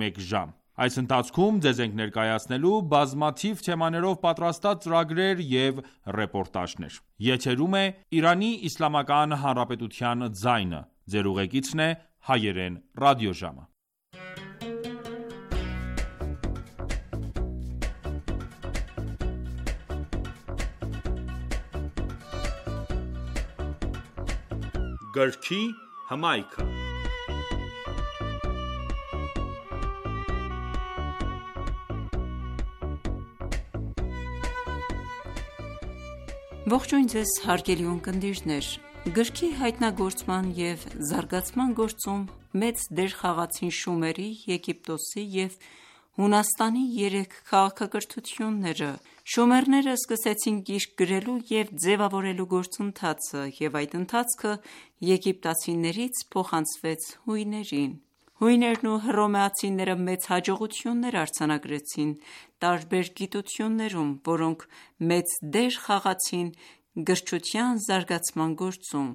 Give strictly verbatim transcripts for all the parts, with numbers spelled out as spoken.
մեկ ժամ: Այս ընթացքում ձեզ ենք ներկայացնելու բազմաթիվ թեմաներով պատրաստած ծրագրեր և ռեպորտաժներ: Եթերում է Իրանի Իսլամական Հանրապետության ձայնը: Ձեր ուղեկիցն է Հայերեն ռադիոժամը: Գրքի հմայքը Ողջույն ձեզ հարգելի ունկնդիրներ: Գրքի հայտնագործման և զարգացման գործում մեծ դեր խաղացին Շումերի, Եգիպտոսի և Հունաստանի երեք քաղաքակրթությունները: Շումերները սկսեցին գիրք գրելու և ձևավորելու գործընթացը և այդ ընթացքը եգիպտացիներից փոխանցվեց հույներին: Հույներն ու հռոմեացիները մեծ հաջողություններ արձանագրեցին տարբեր գիտություններում, որոնք մեծ դեր խաղացին գրչության զարգացման գործում: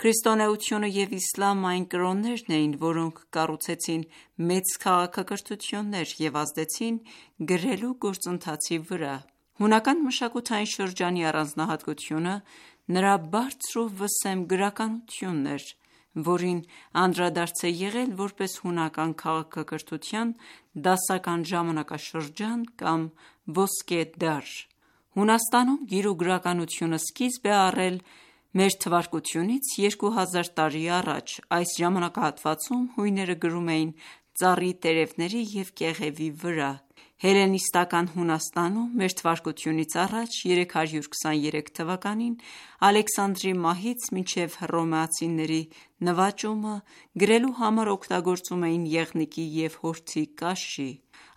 Քրիստոնեությունը և իսլամը այն կրոններն էին, որոնք կառուցեցին մեծ քաղաքակրթություններ և ազդեցին գրելու գործընթացի վրա: Հունական մշակութային շրջանի առանձնահատկությունը նրա բարձր ու վսեմ գրականությունն էր, որին անդրադարձ է եղել որպես հունական քաղաքակրթության դասական ժամանակաշրջան կամ ոսկե դար: Հունաստանում գիր ու գրականությունը սկիզբ է առել մ.թ.ց. երկու հազար տարի առաջ: Այս ժամանակահատվածում հույները գրում էին ծառի տերևների և կեղևի վրա: Հելլենիստական Հունաստանում մ.թ.ց. երեք հարյուր քսաներեք թվականին Ալեքսանդրի մահից մինչև հռոմեացիների նվաճումը գրելու համար օգտագործում էին եղնիկի և հորթի կաշի: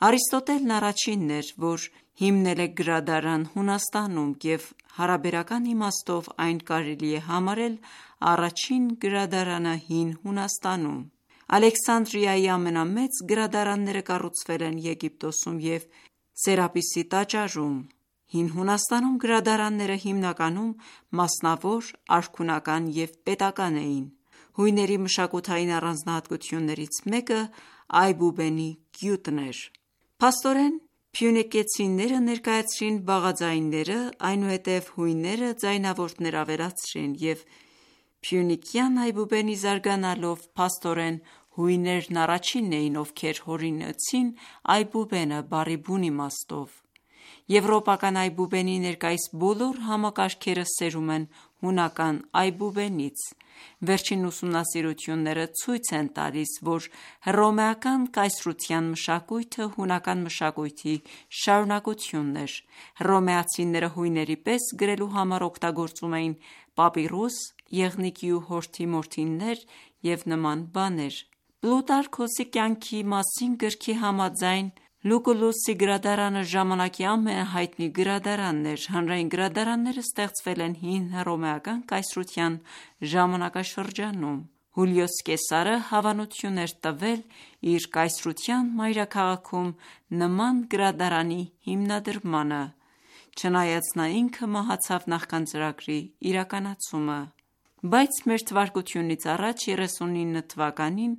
Արիստոտելն առաջինն էր, որ հիմնել է գրադարան Հունաստանում և հարաբերական իմաստով այն կարելի է համարել առաջին գրադարանը հին Հունաստանում: Ալեքսանդրիայի ամենամեծ գրադարանները կառուցվել են Եգիպտոսում և Սերապիսի տաճարում: Հին Հունաստանում գրադարանները հիմնականում մասնավոր, արքունական և պետական էին: Հույների մշակութային առանձնահատկություններից մեկը այբուբենի գյուտն էր: Փաստորեն փյունիկեցիները ներկայացրին բաղաձայնները, այնուհետև հույները ձայնավորներ ավելացրին և փյունիկյան այբուբենի զարգանալով փաստորեն հույներն առաջինն էին, ովքեր հորինեցին այբուբենը բառի բուն իմաստով: Եվրոպական այբուբենի ներկայիս բոլոր համակարգերը սերում են հունական այբուբենից: Վերջին ուսումնասիրությունները ցույց են տալիս, որ հռոմեական կայսրության մշակույթը հունական մշակույթի շարունակությունն էր: Հռոմեացիները հույների պես գրելու համար օգտագործում էին պապիրուս, եղնիկի ու հորթի մորթիներ և նման բաներ: Պլուտարքոսի կյանքի մասին գրքի համաձայն Լուկուլուսի գրադարանը ժամանակի ամենահայտնի գրադարանն էր: Հանրային գրադարանները ստեղծվել են հին հռոմեական կայսրության ժամանակաշրջանում: Հուլիոս Կեսարը հավանություն էր տվել իր կայսրության մայրաքաղաքում նման գրադարանի հիմնադրմանը, չնայած նա ինքը մահացավ նախքան ծրագրի իրականացումը: Բայց մ.թ.ց. երեսունինը թվականին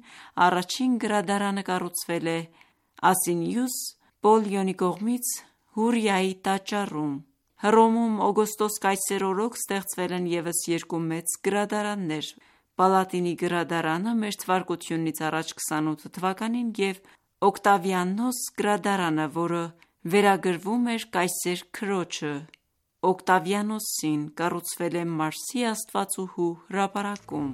առաջին գրադարանը կառուցվել է Ասինիուս Պոլլիոնի կողմից Հուրիայի տաճարում: Հռոմում Օգոստոս կայսեր օրոք ստեղծվել են ևս երկու մեծ գրադարաններ: Պալատինի գրադարանը մ.թ.ց. քսանութ թվականին և Օկտավիանոս գրադարանը, որը վերագրվում էր կայսեր քրոջը Օկտավիանոսին, կառուցվել է Մարսի աստվածուհու հրապարակում: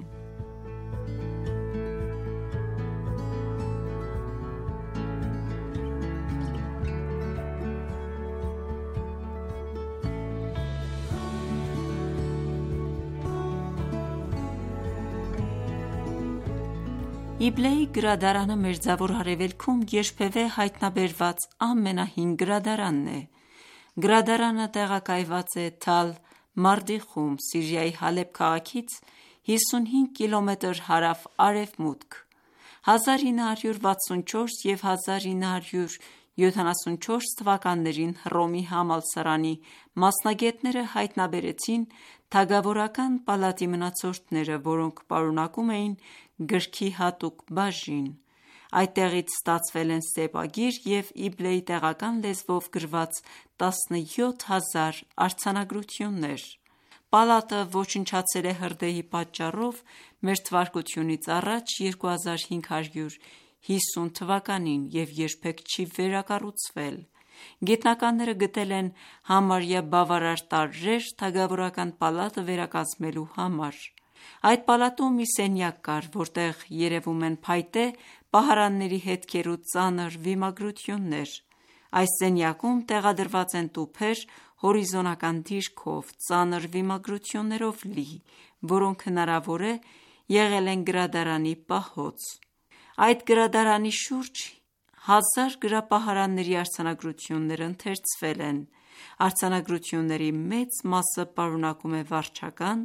Իբլեի գրադարանը Մերձավոր Արևելքում երբևէ հայտնաբերված ամենահին գրադարանն է: Գրադարանը տեղակայված է Թալ Մարդիխում, Սիրիայի Հալեբ քաղաքից հիսունհինգ կիլոմետր հարավ-արևմուտք: հազար ինը հարյուր վաթսունչորս և հազար ինը հարյուր յոթանասունչորս թվականներին Հռոմի համալսարանի մասնագետները հայտնաբերեցին թագավորական պալատի մնացորդները, որոնք պարունակում էին գրքի հատուկ բաժին: Այդտեղից ստացվել են սեպագիր և Իբլեի տեղական լեզվով գրված տասնյոթ հազար արձանագրություններ։ Պալատը ոչնչացել է հրդեհի պատճառով Մթ.ա. երկու հազար հինգ հարյուր հիսուն թվականին և երբեք չի վերակառուցվել։ Գիտնականները գտել են համարյա բավարար տարրեր թագավորական պալատը վերակազմելու համար։ Այդ պալատում մի սենյակ կար, որտեղ երևում են փայտե պահարանների հետքեր ու ծանր վիմագրություններ։ Այս սենյակում տեղադրված են տուփեր հորիզոնական դիրքով, ծանր վիմագրություններով լի, որոնք հնարավոր է եղել են գրադարանի պահոց։ Այդ գրադարանի շուրջ հազար գրապահարանների արձանագրություններ ընթերցվել են։ Արձանագրությունների մեծ մասը պարունակում է վարչական,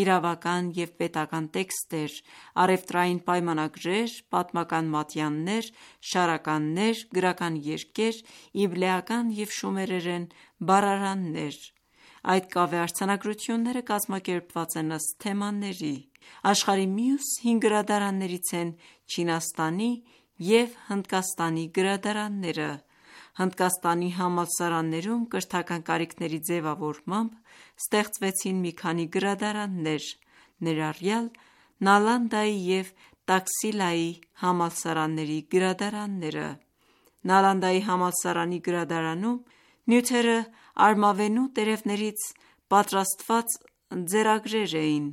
իրավական և պետական տեքստեր, առևտրային պայմանագրեր, պատմական մատյաններ, շարականներ, գրական երգեր, իբլեական և շումերերեն բառարաններ։ Այդ կավե արձանագրությունները կազմակերպված են ըստ թեմաների։ Աշխարհի մյուս հին գրադարաններից են Չինաստանի և Հնդկաստանի գրադարանները։ Հնդկաստանի համալսարաններում կրթական կարիքների ձևավորմամբ ստեղծվեցին մի քանի գրադարաններ, ներառյալ Նալանդայի և Տաքսիլայի համալսարանների գրադարանները։ Նալանդայի համալսարանի գրադարանում նյութերը արմավենու տերևներից պատրաստված ձեռագրեր էին,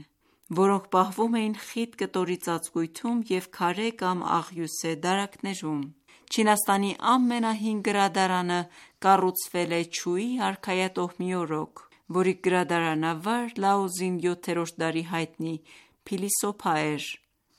որոնք պահվում էին խիտ կտորի ծածկույթում և քարե կամ աղյուսե դարակներում։ Չինաստանի ամենահին գրադարանը կառուցվել է Չուի արքայատոհմի օրոք, որի գրադարանավար Լաոզին յոթերորդ դարի հայտնի փիլիսոփա էր։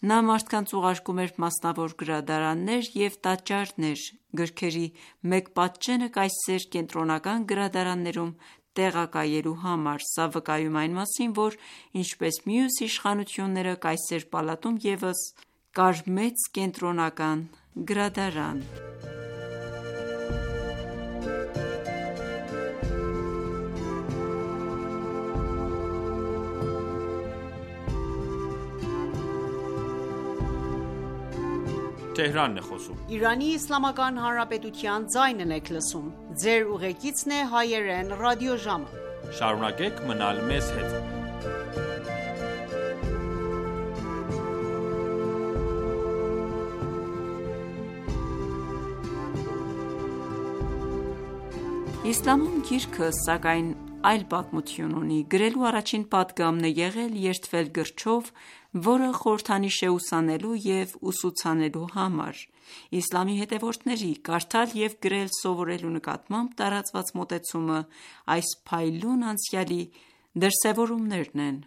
Նա մարդկանց ուղարկում էր մասնավոր գրադարաններ և տաճարներ գրքերի մեկ պատճենը կայսեր կենտրոնական գրադարաններում տեղակայելու համար։ Սա վկայում է այն մասին, որ ինչպես մյուս իշխանությունները, կայսեր պալատում ևս կար մեծ կենտրոնական գրադարան։ Իսլամում գիրքը, սակայն, այլ պատմություն ունի։ Գրելու առաջին պատգամն է եղել երդվել գրչով, որը խորհրդանիշ է ուսանելու և ուսուցանելու համար։ Իսլամի հետևորդների կարդալ և գրել սովորելու նկատմամբ տարածված մոտեցումը այս փայլուն անցյալի դրսևորումներն են։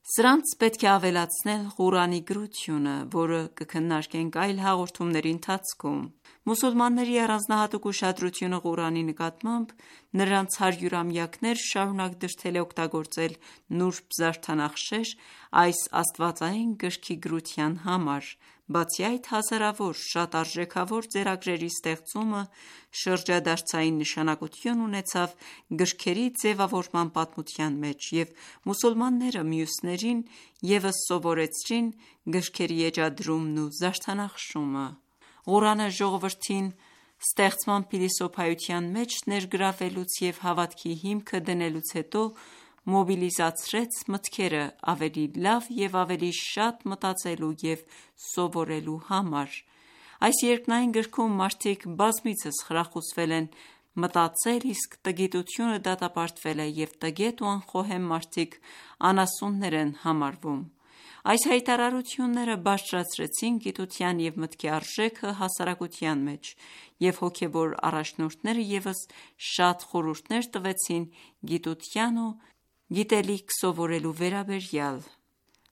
Սրանց պետք է ավելացնել Ղուրանի գրությունը, որը կքննարկենք այլ հաղորդումների ընթացքում։ Մուսուլմանների առանձնահատուկ ուշադրությունը Ղուրանի նկատմամբ նրանց հարյուրամյակներ շարունակ դրդել է օգտագործել նուրբ զարդանախշեր այս աստվածային գրքի գրության համար։ Բացի այդ, հազարավոր շատ արժեքավոր ձեռագրերի ստեղծումը շրջադարձային նշանակություն ունեցավ գրքերի ձևավորման պատմության մեջ, և մուսուլմանները մյուսներին ևս սովորեցրին գրքերի էջադրումն ու զարդանախշումը։ Ղուրանը ժողովրդին ստեղծման փիլիսոփայության մեջ ներգրավելուց և հավատքի հիմքը դնելուց հետո մոբիլիզացրեց մտքերը ավելի լավ և ավելի շատ մտածելու և սովորելու համար։ Այս երկնային գրքում մարդիկ բազմիցս խրախուսվել են մտածել, իսկ տգիտությունը դատապարտվել է, և տգետ ու անխոհեմ մարդիկ անասուններ են համարվում։ Այս հայտարարությունները բարձրացրեցին գիտության և մտքի արժեքը հասարակության մեջ, և հոգևոր առաջնորդները ևս շատ խորհուրդներ տվեցին գիտության ու գիտելիք սովորելու վերաբերյալ։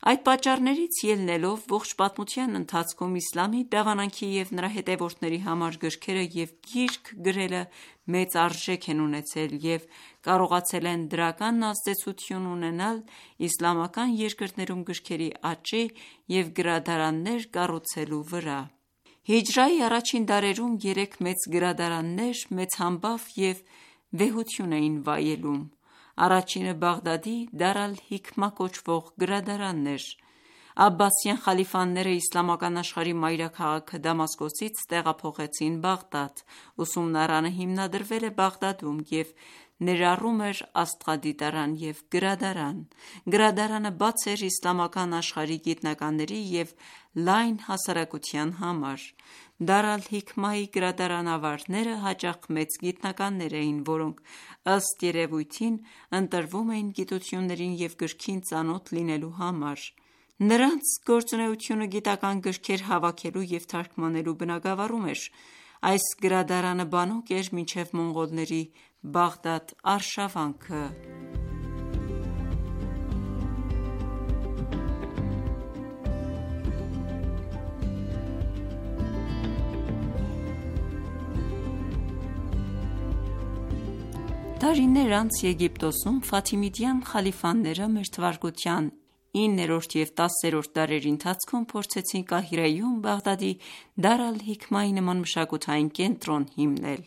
Այդ պատճառներից ելնելով, ողջ պատմության ընթացքում իսլամի դավանանքի և նրա հետևորդների համար գրքերը և գիրք գրելը մեծ արժեք են ունեցել և կարողացել են դրական ազդեցություն ունենալ իսլամական երկրներում գրքերի աճի և գրադարաններ կառուցելու վրա։ Հիջրայի առաջին դարերում երեք մեծ գրադարաններ մեծ համբավ և վեհություն էին վայելում։ Առաջինը Բաղդադի Դար ալ-Հիքմա կոչվող գրադարանն էր։ Աբբասյան խալիֆաները իսլամական աշխարհի մայրաքաղաքը Դամասկոսից տեղափոխեցին Բաղդադ: Ուսումնարանը հիմնադրվել է Բաղդադում և ներառում էր աստղադիտարան և գրադարան: Գրադարանը բաց էր իսլամական աշխարհի գիտնականների և լայն հասարակության համար: Դար ալ-Հիքմայի գրադարանավարները հաճախ մեծ գիտնականներ էին, որոնք ըստ երևույթին ընտրվում էին գիտություններին և գրքին ծանոթ լինելու համար: Նրանց գործունեությունը գիտական գրքեր հավաքելու և թարգմանելու բնագավառում էր: Այս գրադարանը բանուկ էր մինչև մոնղոլների Բաղդադ արշավանքը: Տարիներ անց Եգիպտոսում ֆաթիմիդյան խալիֆաները մ.թ. իններորդ և տասերորդ դարերի ընթացքում փորձեցին Կահիրեում Բաղդադի Դար ալ-Հիքմայի նման մշակութային կենտրոն հիմնել: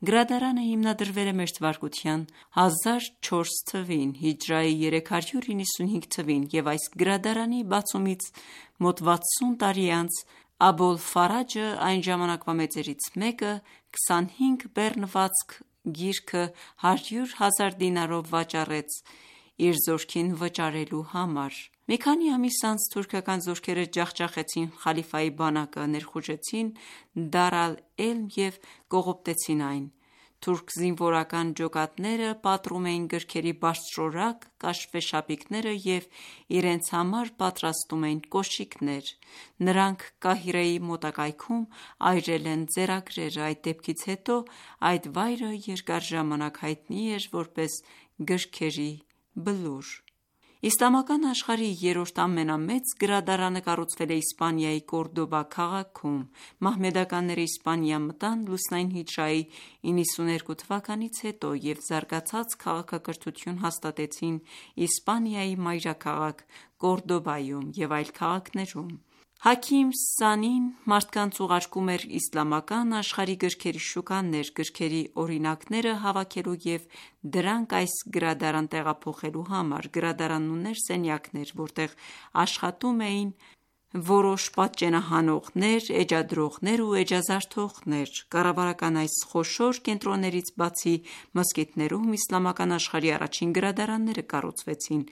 Գրադարանը հիմնադրվել է մ.թ. հազար չորս թվին (հիջրեթի երեք հարյուր իննսունհինգ թվին) և այս գրադարանի բացումից մոտ վաթսուն տարի անց Աբոլֆարաջը, այն ժամանակվա մեծերից մեկը, քսանհինգ բեռնվածք գիրքը հարյուր հազար դինարով վաճառեց իր զորքին վճարելու համար: Մի քանի ամիս անց թուրքական զորքերը ջախջախեցին խալիֆայի բանակը, ներխուժեցին Դար ալ-Էլմ և կողոպտեցին այն: Թուրք զինվորական ջոկատները պատռում էին գրքերի բարձրորակ կաշվե շապիկները և իրենց համար պատրաստում էին կոշիկներ: Նրանք Կահիրեի մոտակայքում այրել են ձեռագրերը: Այդ դեպքից հետո այդ վայրը երկար ժամանակ հայտնի էր որպես գրքերի բլուր: Իսլամական աշխարհի երրորդ ամենամեծ գրադարանը կառուցվել է Իսպանիայի Կորդոբա քաղաքում: Մահմեդականները Իսպանիա մտան լուսնային հիջրեթի իննսուներկու թվականից հետո և զարգացած քաղաքակրթություն հաստատեցին Իսպանիայի մայրաքաղաք Կորդոբայում և այլ քաղաքներում: Հաքիմ Սանին մարդկանց ուղարկում էր իսլամական աշխարհի գրքերի շուկաներ, գրքերի օրինակները հավաքելու և դրանք այս գրադարան տեղափոխելու համար: Գրադարանն ուներ սենյակներ, որտեղ աշխատում էին որոշ պատճենահանողներ, էջադրողներ ու էջազարդողներ: Կառավարական այս խոշոր կենտրոններից բացի, մզկիթներում իսլամական աշխարհի առաջին գրադարանները կառուցվեցին: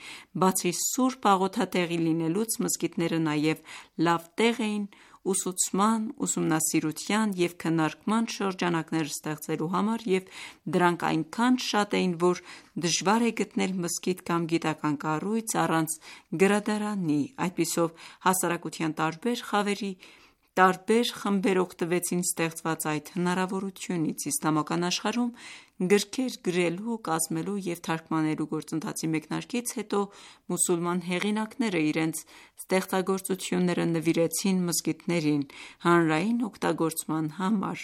Բացի սուրբ աղոթատեղի լինելուց, մզկիթները նաև լավ տեղ էին ուսուցման, ուսումնասիրության և քննարկման շրջանակներ ստեղծելու համար և դրանք այնքան շատ էին, որ դժվար է գտնել մզկիթ կամ գիտական կառույց առանց գրադարանի: Այդպիսով հասարակության տարբեր խավերի տարբեր խմբեր օգտվեցին ստեղծված այդ հնարավորությունից: Իսլամական աշխարհում գրքեր գրելու, կազմելու և թարգմանելու գործընթացի մեկնարկից հետո մուսուլման հեղինակները իրենց ստեղծագործությունները նվիրեցին մզկիթներին հանրային օգտագործման համար: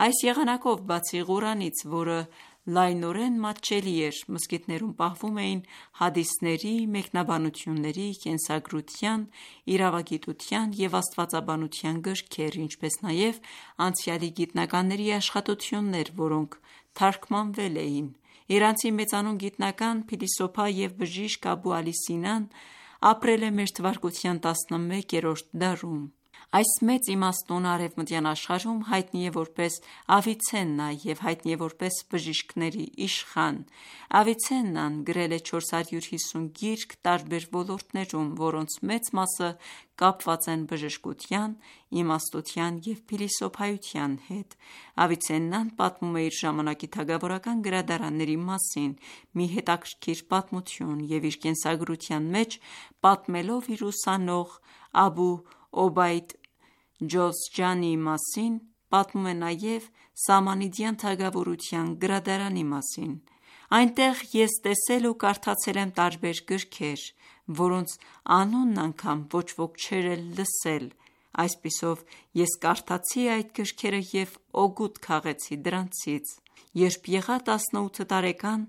Այս եղանակով, բացի Ղուրանից, որը լայնորեն մատչելի էր, մզկիթներում պահվում էին հադիսների, մեկնաբանությունների, կենսագրության, իրավագիտության և աստվածաբանության գրքեր, ինչպես նաև անցյալի գիտնականների աշխատություններ, որոնք թարգմանվել էին: Իրանցի մեծանուն գիտնական, փիլիսոփա և բժիշկ Աբու Ալի Սինան ապրել է մ.թ. տասնմեկերորդ դարում: Այս մեծ իմաստունը արևմտյան աշխարհում հայտնի է որպես Ավիցեննա և հայտնի է որպես բժիշկների իշխան: Ավիցեննան գրել է չորս հարյուր հիսուն գիրք տարբեր ոլորտներում, որոնց մեծ մասը կապված են բժշկության, իմաստության և փիլիսոփայության հետ: Ավիցեննան պատմում է իր ժամանակի թագավորական գրադարանների մասին մի հետաքրքիր պատմություն և իր կենսագրության մեջ պատմելով իր ուսանող Աբու Օբեյդ Ջոզջանիի մասին, պատմում է նաև Սամանիդյան թագավորության գրադարանի մասին: Այնտեղ ես տեսել ու կարդացել եմ տարբեր գրքեր, որոնց անունն անգամ ոչ ոք չէր էլ լսել: Այսպիսով ես կարդացի այդ գրքերը և օգուտ քաղեցի դրանցից: Երբ եղա տասնութ տարեկան,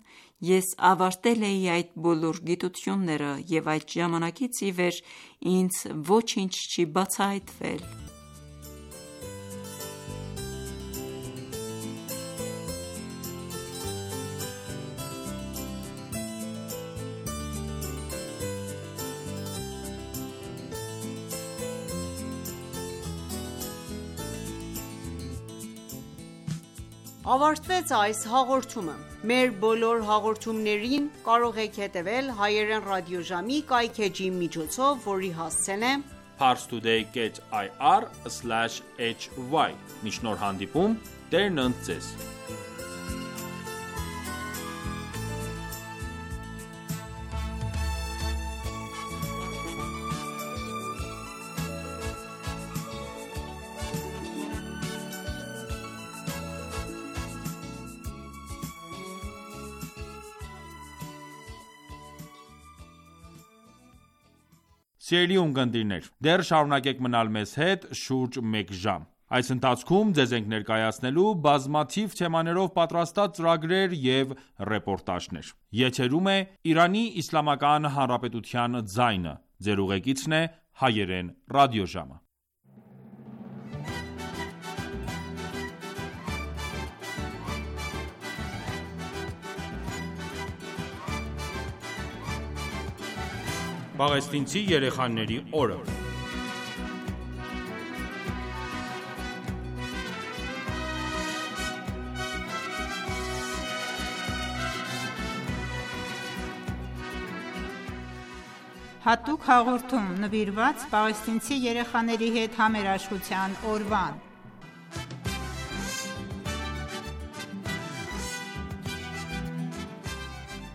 ես ավարտել էի այդ բոլոր գիտությունները և այդ ժամանակից ի վեր ինձ ոչինչ չի բացահայտվել: ավարտվեց այս հաղորդումը: Մեր բոլոր հաղորդումներին կարող եք հետևել հայերեն ռադիոժամի կայքէջի միջոցով, որի հասցեն է parstoday dot i r slash h y: Մինչ նոր հանդիպում, Տերն ընդ ձեզ: Սիրելի ունկնդիրներ, դեռ շարունակեք մնալ մեզ հետ շուրջ մեկ ժամ: Այս ընթացքում ձեզ ենք ներկայացնելու բազմաթիվ թեմաներով պատրաստած ծրագրեր և ռեպորտաժներ: Եթերում է «Իրանի Իսլամական Հանրապետության ձայնը»: Ձեր ուղեկիցն է Հայերեն ռադիոժամը: Պաղեստինցի երեխաների օրը Հատուկ հաղորդում նվիրված պաղեստինցի երեխաների հետ համերաշխության օրվան: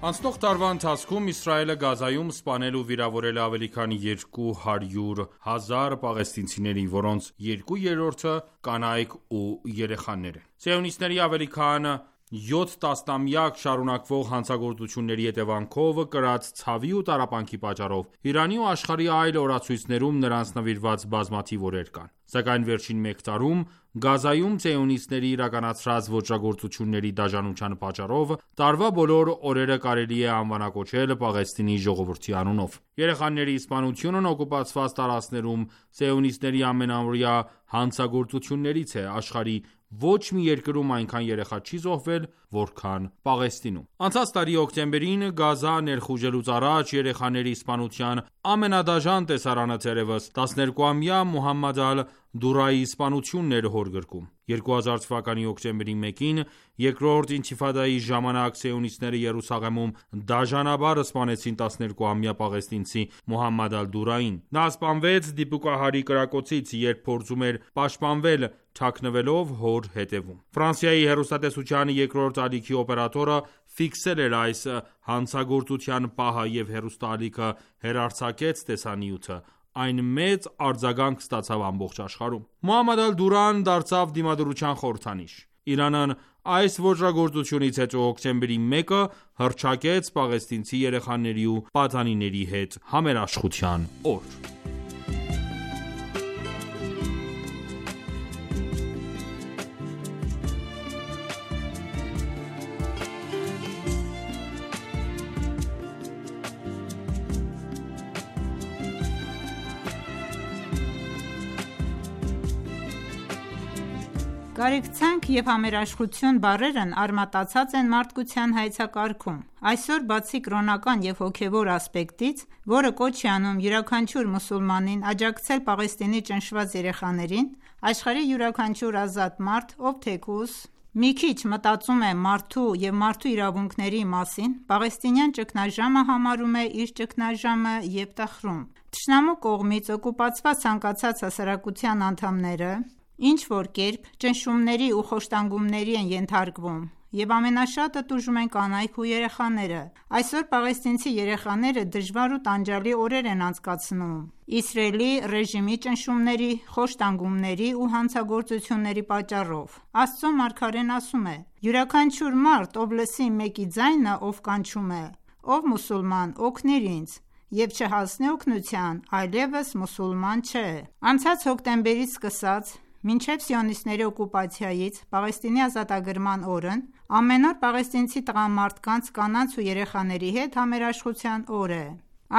Անցնող տարվա ընթացքում Իսրայելը Գազայում սպանել ու վիրավորել է ավելի քան երկու հարյուր հազար պաղեստինցիների, որոնց երկու երրորդը կանայք ու երեխաներ են: Սիոնիստների ավելի քան յոթ տասնամյակ շարունակվող հանցագործությունների հետևանքով կրած ցավի ու տառապանքի պատճառով Իրանի ու աշխարհի այլ օրացույցներում նրանց նվիրված բազմաթիվ օրեր կան: Սակայն վերջին մեկ տարում Գազայում սիոնիստների իրականացրած ոճրագործությունների դաժանության պատճառով տարվա բոլոր օրերը կարելի է անվանակոչել Պաղեստինի ժողովրդի անունով: Երեխաների սպանությունն օկուպացված տարածքներում սիոնիստների ամենաամռյա հանցագործություններից է: Աշխարհի ոչ մի երկրում այնքան երեխա չի զոհվել, որքան Պաղեստինում: Անցած տարի հոկտեմբերին Գազա ներխուժելուց առաջ երեխաների սպանության ամենադաժան տեսարանը թերևս տասներկուամյա Մոհամմադ ալ-Դուրայի սպանությունն էր հոր գրկում: երկու հազար թվականի հոկտեմբերի մեկին երկրորդ ինթիֆադայի ժամանակ սիոնիստները Երուսաղեմում դաժանաբար սպանեցին տասներկուամյա պաղեստինցի Մոհամմադ ալ-Դուրային: Նա սպանվեց դիպուկահարի կրակոցից, երբ փորձում էր պաշտպանվել թաքնվելով հոր հետևում: Ֆրանսիայի հեռուստատեսության երկրորդ ալիքի օպերատորը ֆիքսել էր այս հանցագործության պահը և հեռուստաալիքը հեռարձակեց տեսանյութը: Այն մեծ արձագանք ստացավ ամբողջ աշխարհում: Մոհամմադ ալ-Դուրան դարձավ դիմադրության խորհրդանիշ: Իրանն այս ոճրագործությունից հետո հոկտեմբերի մեկը հռչակեց պաղեստինցի երեխաների ու պատանիների հետ համերաշխության օր: Կարեկցանք և համերաշխություն բառերն արմատացած են մարդկության հայեցակարգում: Այսօր բացի կրոնական և հոգևոր ասպեկտից, որը կոչ է անում յուրաքանչյուր մուսուլմանին աջակցել Պաղեստինի ճնշված երեխաներին, աշխարհի յուրաքանչյուր ազատ մարդ, ով թեկուզ մի քիչ մտածում է մարդու և մարդու իրավունքների մասին, պաղեստինյան ճգնաժամը համարում է իր ճգնաժամը և տխրում: Թշնամու կողմից օկուպացված ցանկացած հասարակության անդամները ինչ-որ կերպ ճնշումների ու խոշտանգումների են ենթարկվում և ամենաշատը տուժում են կանայք ու երեխաները: Այսօր պաղեստինցի երեխաները դժվար ու տանջալի օրեր են անցկացնում Իսրայելի ռեժիմի ճնշումների, խոշտանգումների ու հանցագործությունների պատճառով: Աստծո մարգարեն ասում է. «Յուրաքանչյուր մարդ, ով լսի մեկի ձայնը, ով կանչում է. «Ով մուսուլման, օգնիր ինձ», և չհասնի օգնության, այլևս մուսուլման չէ»: Անցած հոկտեմբերից սկսած մինչև սիոնիստների օկուպացիայից Պաղեստինի ազատագրման օրն ամեն օր պաղեստինցի տղամարդկանց, կանանց ու երեխաների հետ համերաշխության օր է: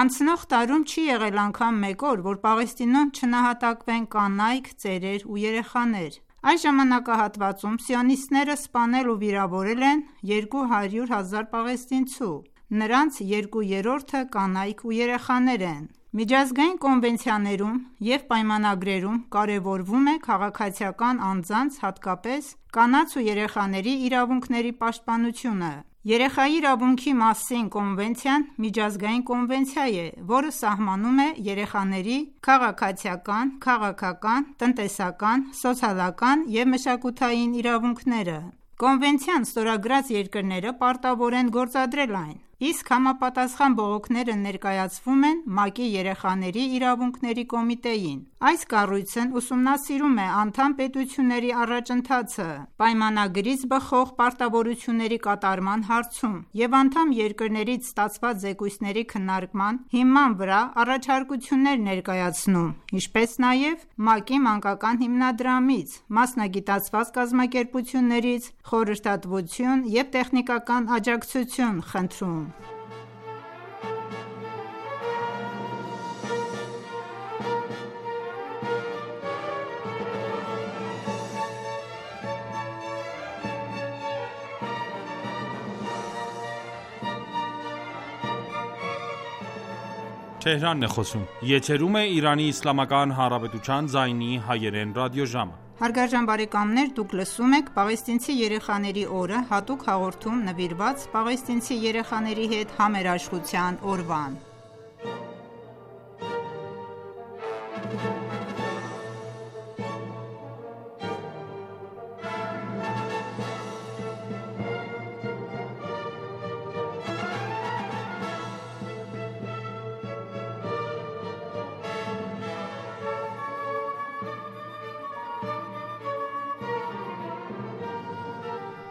Անցնող տարում չի եղել անգամ մեկ օր, որ Պաղեստինում չնահատակվեն կանայք, ծերեր ու երեխաներ: Այս ժամանակահատվածում սիոնիստները սպանել ու վիրավորել են երկու հարյուր հազար պաղեստինցու: նրանց երկու երրորդը կանայք ու երեխաներ են։ Միջազգային կոնվենցիաներում և պայմանագրերում կարևորվում է քաղաքացիական անձանց, հատկապես կանանց ու երեխաների իրավունքների պաշտպանությունը։ Երեխայի իրավունքի մասին կոնվենցիան միջազգային կոնվենցիա է, որը սահմանում է երեխաների քաղաքացիական, քաղաքական, տնտեսական, սոցիալական և մշակութային իրավունքները։ Կոնվենցիան ստորագրած երկրները պարտավոր են գործադրել այն, իսկ համապատասխան բողոքները ներկայացվում են ՄԱԿ-ի Երեխաների իրավունքների կոմիտեին։ Այս կառույցն ուսումնասիրում է անդամ պետությունների առաջընթացը պայմանագրից բխող պարտավորությունների կատարման հարցում և անդամ երկրներից ստացված զեկույցների քննարկման հիման վրա առաջարկություններ ներկայացնում, ինչպես նաև ՄԱԿ-ի Մանկական հիմնադրամից, մասնագիտացված կազմակերպություններից խորհրդատվություն և տեխնիկական աջակցություն խնդրում։ Պաղեստինցի երեխաների օրը հատուկ հաղորդում նվիրված պաղեստինցի երեխաների հետ համերաշխության օրվան։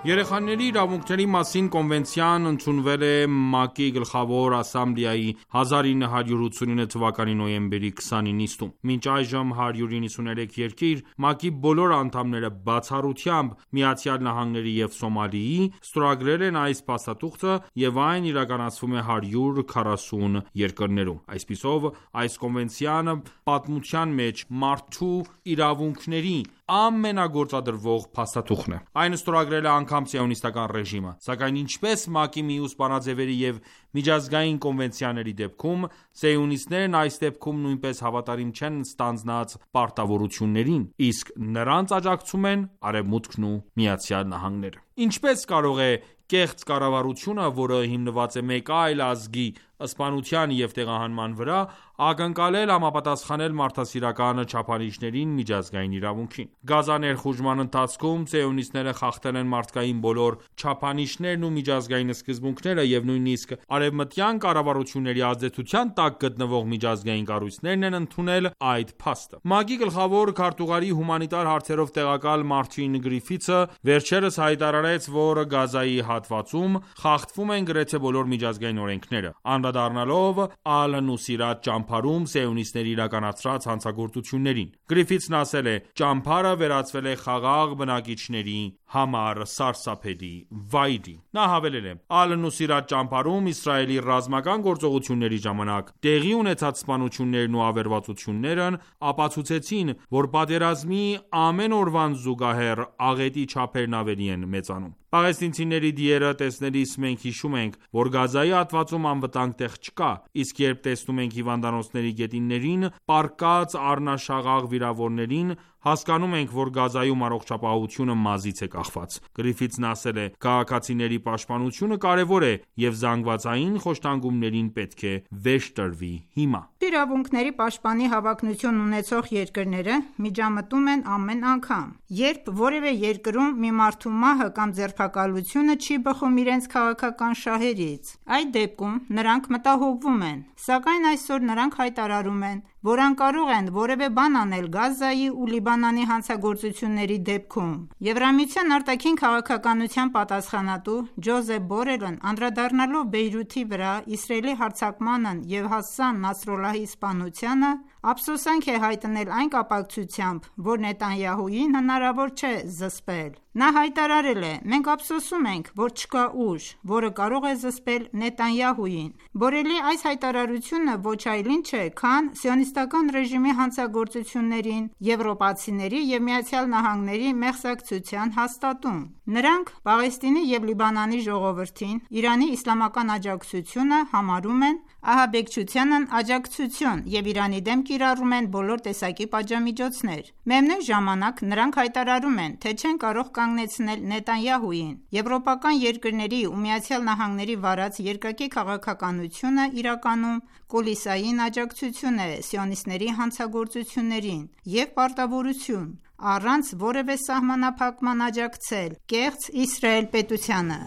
Երեխաների իրավունքների մասին կոնվենցիան ընդունվել է ՄԱԿ-ի Գլխավոր ասամբլեայի հազար ինը հարյուր ութսունինը թվականի նոյեմբերի քսանինը նիստում։ Մինչ այժմ հարյուր իննսուներեք երկիր, ՄԱԿ-ի բոլոր անդամները, բացառությամբ ԱՄՆ-ի և Սոմալիի, ստորագրել են այս փաստաթուղթը և այն իրականացվում է հարյուր քառասուն երկրներում։ Այսպիսով, այս կոնվենցիան պատմության մեջ մարդու իրավունքների ամենագործադրվող փաստաթուղթն է։ Այն ստորագրել է անգամ սիոնիստական ռեժիմը, սակայն ինչպես ՄԱԿ-ի մյուս բանաձևերի և միջազգային կոնվենցիաների դեպքում, սիոնիստներն այս դեպքում նույնպես հավատարիմ չեն ստանձնած պարտավորություններին, իսկ նրանց աջակցում են Արևմուտքն ու ԱՄՆ-ը։ Ինչպես կարող է կեղծ կառավարությունը, որը հիմնված է մեկ այլ ազգի սպանության և տեղահանման վրա, ակնկալել համապատասխանել մարդասիրական չափանիշներին միջազգային իրավունքին։ Գազա ներխուժման ընթացքում սիոնիստները խախտել են մարդկային բոլոր չափանիշներն ու միջազգային սկզբունքները և նույնիսկ արևմտյան կառավարությունների ազդեցության տակ գտնվող միջազգային կառույցներն են ընդունել այդ փաստը։ ՄԱԿ-ի գլխավոր քարտուղարի հումանիտար հարցերով տեղակալ Մարտին Գրիֆիթսը վերջերս հայտարարեց, որ Գազայի հատվածում խախտվում են գրեթե բոլոր միջազգային օրենքները, անդրադառնալով Ալ-Նուսիրատ ճամբարում սիոնիստների իրականացրած հանցագործություններին։ Գրիֆիթսն ասել է. «Ճամբարը վերածվել է խաղաղ բնակիչների համար սարսափելի վայրի»։ Նա հավելել է. «Ալ-Նուսիրատ ճամբարում Իսրայելի ռազմական գործողությունների ժամանակ տեղի ունեցած սպանություններն ու ավերածություններն ապացուցեցին, որ պատերազմի ամեն օրվան զուգահեռ աղետի չափերն ավելի են մեծանում։ Պաղեստինցիների դիերը տեսնելիս մենք հիշում ենք, որ Գազայի հատվածում անվտանգ տեղ չկա, իսկ երբ տեսնում ենք հիվանդանոցների գետիններին պառկած առնաշաղաղ վիրավորներին, հասկանում ենք, որ Գազայում առողջապահությունը մազից է կախված»։ Գրիֆիթսն ասել է. «Քաղաքացիների պաշտպանությունը կարևոր է և զանգվածային խոշտանգումներին պետք է վերջ տրվի հիմա»։ Իրավունքների պաշտպանի հավակնություն ունեցող երկրները միջամտում են ամեն անգամ, երբ որևէ երկրում մի մարդու մահը կամ ձերբակալությունը չի բխում իրենց քաղաքական շահերից։ Այդ դեպքում նրանք մտահոգվում են, սակայն այսօր նրանք հայտարարում են, որ անկարող են որևէ բան անել Գազայի ու Լիբանանի հանցագործությունների դեպքում։ Եվրամիության արտաքին քաղաքականության պատասխանատու Ջոզեփ Բորելն անդրադառնալով Բեյրութի վրա Իսրայելի հարձակմանն և Հասան Նասրալլահի սպանությանը, ափսոսանք է հայտնել այն կապակցությամբ, որ Նեթանյահուին հնարավոր չէ զսպել։ Նա հայտարարել է. «Մենք ափսոսում ենք, որ չկա ուժ, որը կարող է զսպել Նետանյահուին»։ Բորելի այս հայտարարությունը ոչ այլ ինչ է, քան սիոնիստական ռեժիմի հանցագործություններին եվրոպացիների և ԱՄՆ-ի մեղսակցության հաստատում։ Նրանք Պաղեստինի և Լիբանանի ժողովրդին Իրանի իսլամական աջակցությունը համարում են ահաբեկչությանն աջակցություն և Իրանի դեմ կիրառում են բոլոր տեսակի պատժամիջոցներ։ Միևնույն ժամանակ նրանք հայտարարում են, թե չեն կարող կանգնեցնել Նետանյահուին։ Եվրոպական երկրների ու ԱՄՆ-ի վարած երկակի քաղաքականությունը իրականում կուլիսային աջակցություն է սիոնիստների հանցագործություններին և պարտավորություն առանց որևէ սահմանափակման աջակցել կեղծ Իսրայել պետությանը։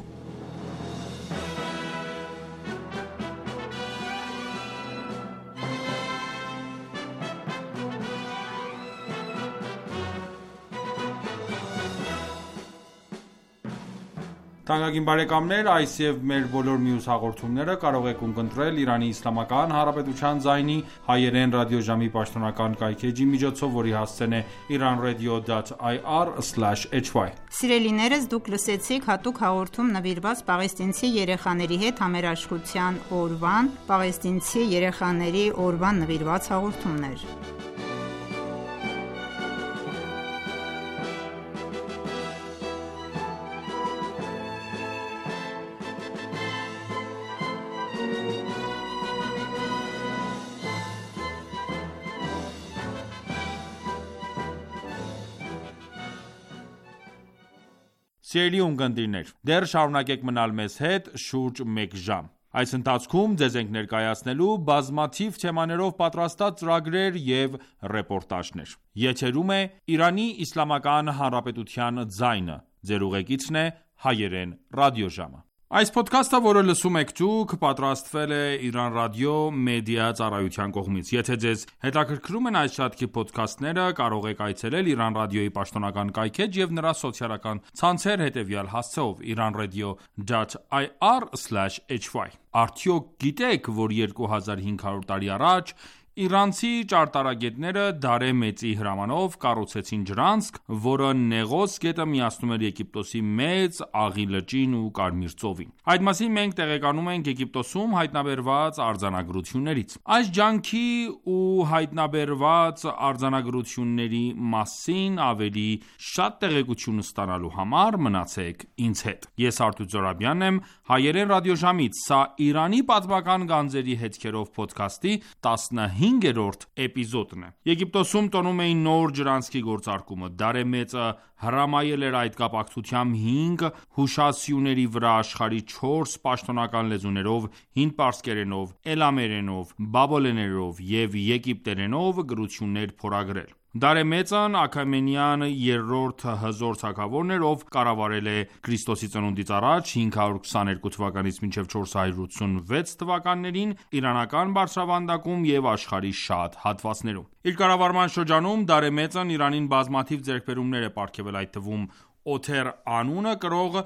Թանկագին բարեկամներ, այս և մեր բոլոր մյուս հաղորդումները կարող եք ունկնդրել Իրանի Իսլամական Հանրապետության ձայնի հայերեն ռադիոժամի պաշտոնական կայքէջի միջոցով, որի հասցեն է իրանradio.ir slash h y։ Սիրելիներս, դուք լսեցիք հատուկ հաղորդում նվիրված պաղեստինցի երեխաների հետ համերաշխության օրվան, պաղեստինցի երեխաների օրվան նվիրված հաղորդումներ։ Սիրելի ունկնդիրներ, դեռ շարունակեք մնալ մեզ հետ շուրջ մեկ ժամ։ Այս ընթացքում ձեզ ենք ներկայացնելու բազմաթիվ թեմաներով պատրաստած ծրագրեր և ռեպորտաժներ։ Եթերում է Իրանի Իսլամական Հանրապետության ձայնը։ Ձեր ուղեկիցն է հայերեն ռադիոժամը։ Այս ոդքասթը, որը լսում եք դուք, պատրաստվել է Իրանական ռադիո մեդիա ծառայության կողմից։ Եթե ձեզ հետաքրքրում են այս շարքի ոդքասթները, կարող եք այցելել Իրանական ռադիոյի պաշտոնական կայքէջ և նրա սոցիալական ցանցեր հետևյալ հասցեով՝ իրանradio dot i r slash h y։ Արդյոք գիտեք, որ երկու հազար հինգ հարյուր տարի առաջ իրանցի ճարտարագետները Դարե Մեծի հրամանով կառուցեցին ջրանցք, որը Նեղոս գետը միացնում էր Եգիպտոսի Մեծ Աղի լճին ու Կարմիր ծովին։ Այդ մասին մենք տեղեկանում ենք Եգիպտոսում հայտնաբերված արձանագրություններից։ Այս ջանքի ու հայտնաբերված արձանագրությունների մասին ավելի շատ տեղեկություն ստանալու համար մնացեք ինձ հետ։ Ես Արթուր Զորաբյանն եմ, հայերեն ռադիոժամից։ Սա Իրանի պատմական գանձերի հետքերով ոդքասթի տասնհինգերորդ էպիզոդն է։ Եգիպտոսում տոնում էին նոր ջրանցքի գործարկումը։ Դարե Մեծը հրամայել էր այդ կապակցությամբ հինգ հուշասյուների վրա աշխարհի չորս պաշտոնական լեզուներով՝ հինդպարսկերենով, էլամերենով, բաբելերենով և եգիպտերենով գրություններ փորագրել։ Դարե Մեծն Աքեմենյան երրորդ հզոր թագավորն էր, ով կառավարել է Ք.ծ.ա. հինգ հարյուր քսաներկու թվականից մինչև չորս հարյուր ութսունվեց թվականներին իրանական բարձրավանդակում և աշխարհի շատ հատվածներում։ Իր կառավարման շրջանում Դարե Մեծն Իրանին բազմաթիվ ձեռքբերումներ է պարգևել, այդ թվում Օթեր անունը կրող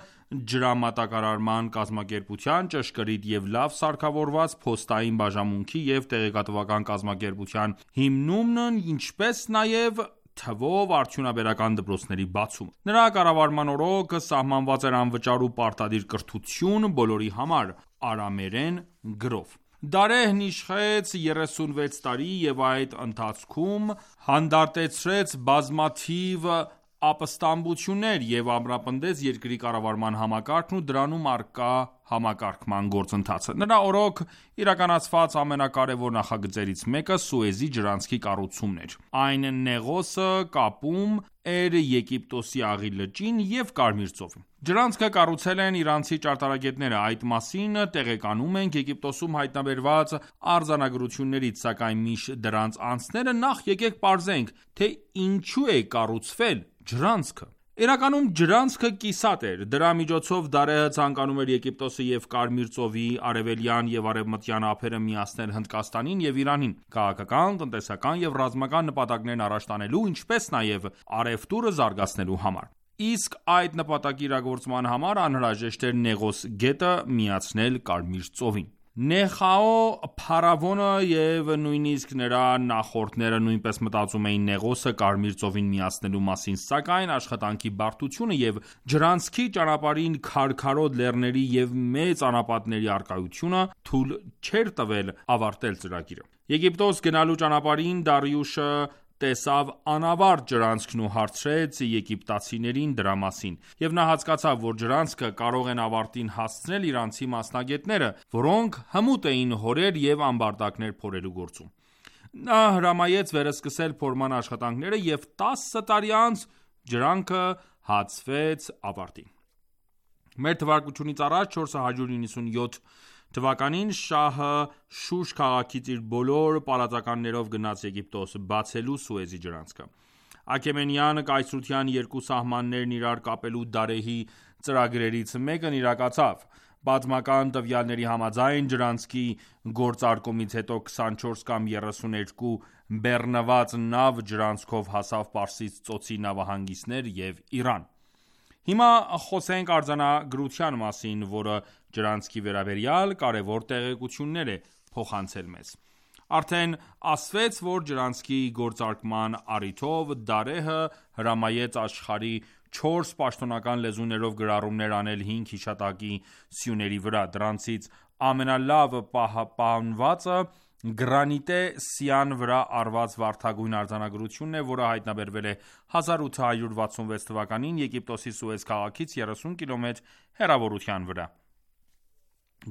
ջրամատակարարման կազմակերպության, ճշգրիտ և լավ սարքավորված փոստային բաժանմունքի և տեղեկատվական կազմակերպության հիմնումն, ինչպես նաև թվով արդյունաբերական դպրոցների բացումը։ Նրա կառավարման օրոք սահմանված էր անվճար ու պարտադիր կրթություն բոլորի համար՝ արամերեն գրով։ Դարեհն իշխեց երեսունվեց տարի և այդ ընթացքում հանդարտեցրեց բազմաթիվ ապստամբություններ և ամրապնդեց երկրի կառավարման համակարգն ու դրանում առկա համակարգման գործընթացը։ Նրա օրոք իրականացված ամենակարևոր նախագծերից մեկը Սուեզի ջրանցքի կառուցումն էր։ Այն Նեղոսը կապում էր Եգիպտոսի Աղի լճին և Կարմիր ծովին։ Ջրանցքը կառուցել են իրանցի ճարտարագետները։ Այդ մասին տեղեկանում ենք Եգիպտոսում հայտնաբերված արձանագրություններից, սակայն մինչ դրանց անցնելը նախ եկեք պարզենք, թե ինչու է կառուցվել ջրանցքը։ Իրականում ջրանցքը կիսատ էր։ Դրա միջոցով Դարեհը ցանկանում էր Եգիպտոսը և Կարմիր ծովի արևելյան և արևմտյան ափերը միացնել Հնդկաստանին և Իրանին՝ քաղաքական, տնտեսական և ռազմական նպատակներն առաջ տանելու, ինչպես նաև առևտուրը զարգացնելու համար։ Իսկ այդ նպատակի իրագործման համար անհրաժեշտ էր Նեղոս գետը միացնել Կարմիր ծովին։ Նեխաո փարավոնը և նույնիսկ նրա նախորդները նույնպես մտածում էին Նեղոսը Կարմիր ծովին միացնելու մասին, սակայն աշխատանքի բարդությունը և ջրանցքի ճանապարհին քարքարոտ լեռների և մեծ անապատների առկայությունը թույլ չէր տվել ավարտել ծրագիրը։ Եգիպտոս գնալու ճանապարհին Դարիուշը տեսավ անավարտ ջրանցքն ու հարցրեց եգիպտացիներին դրա մասին, և նա հասկացավ, որ ջրանցքը կարող են ավարտին հասցնել իրանցի մասնագետները, որոնք հմուտ էին հորեր և ամբարտակներ փորելու գործում։ Նա հրամայեց վերսկսել փորման աշխատանքները և տասը տարի անց ջրանքը հացվեց ավարտին։ Մեր թվարկությունից առաջ չորս հարյուր նվաթյոթ թվականին շահը Շուշ քաղաքից իր բոլոր պալատականներով գնաց Եգիպտոս՝ բացելու Սուեզի ջրանցքը։ Աքեմենյան կայսրության երկու սահմաններն իրար կապելու Դարեհի ծրագրերից մեկն իրագացավ։ Պատմական տվյալների համաձայն, ջրանցքի գործարկումից հետո քսանչորս կամ երեսուներկու բեռնված նավ ջրանցքով հասավ Պարսից ծոցի նավահանգիստներ և Իրան։ Հիմա խոսենք արձանագրության մասին, որը ջրանցքի վերաբերյալ կարևոր տեղեկություններ է փոխանցել մեզ։ Արդեն ասվեց, որ ջրանցքի գործարկման առիթով Դարեհը հրամայեց աշխարհի չորս պաշտոնական լեզուներով գրառումներ անել հինգ հիշատակի սյուների վրա։ Դրանցից ամենալավ պահպանվածը գրանիտե սյան վրա առված վարդագույն արձանագրությունն է, որը հայտնաբերվել է հազար ութ հարյուր վաթսունվեց թվականին Եգիպտոսի Սուեզ քաղաքից երեսուն կիլոմետր հեռավորության վրա։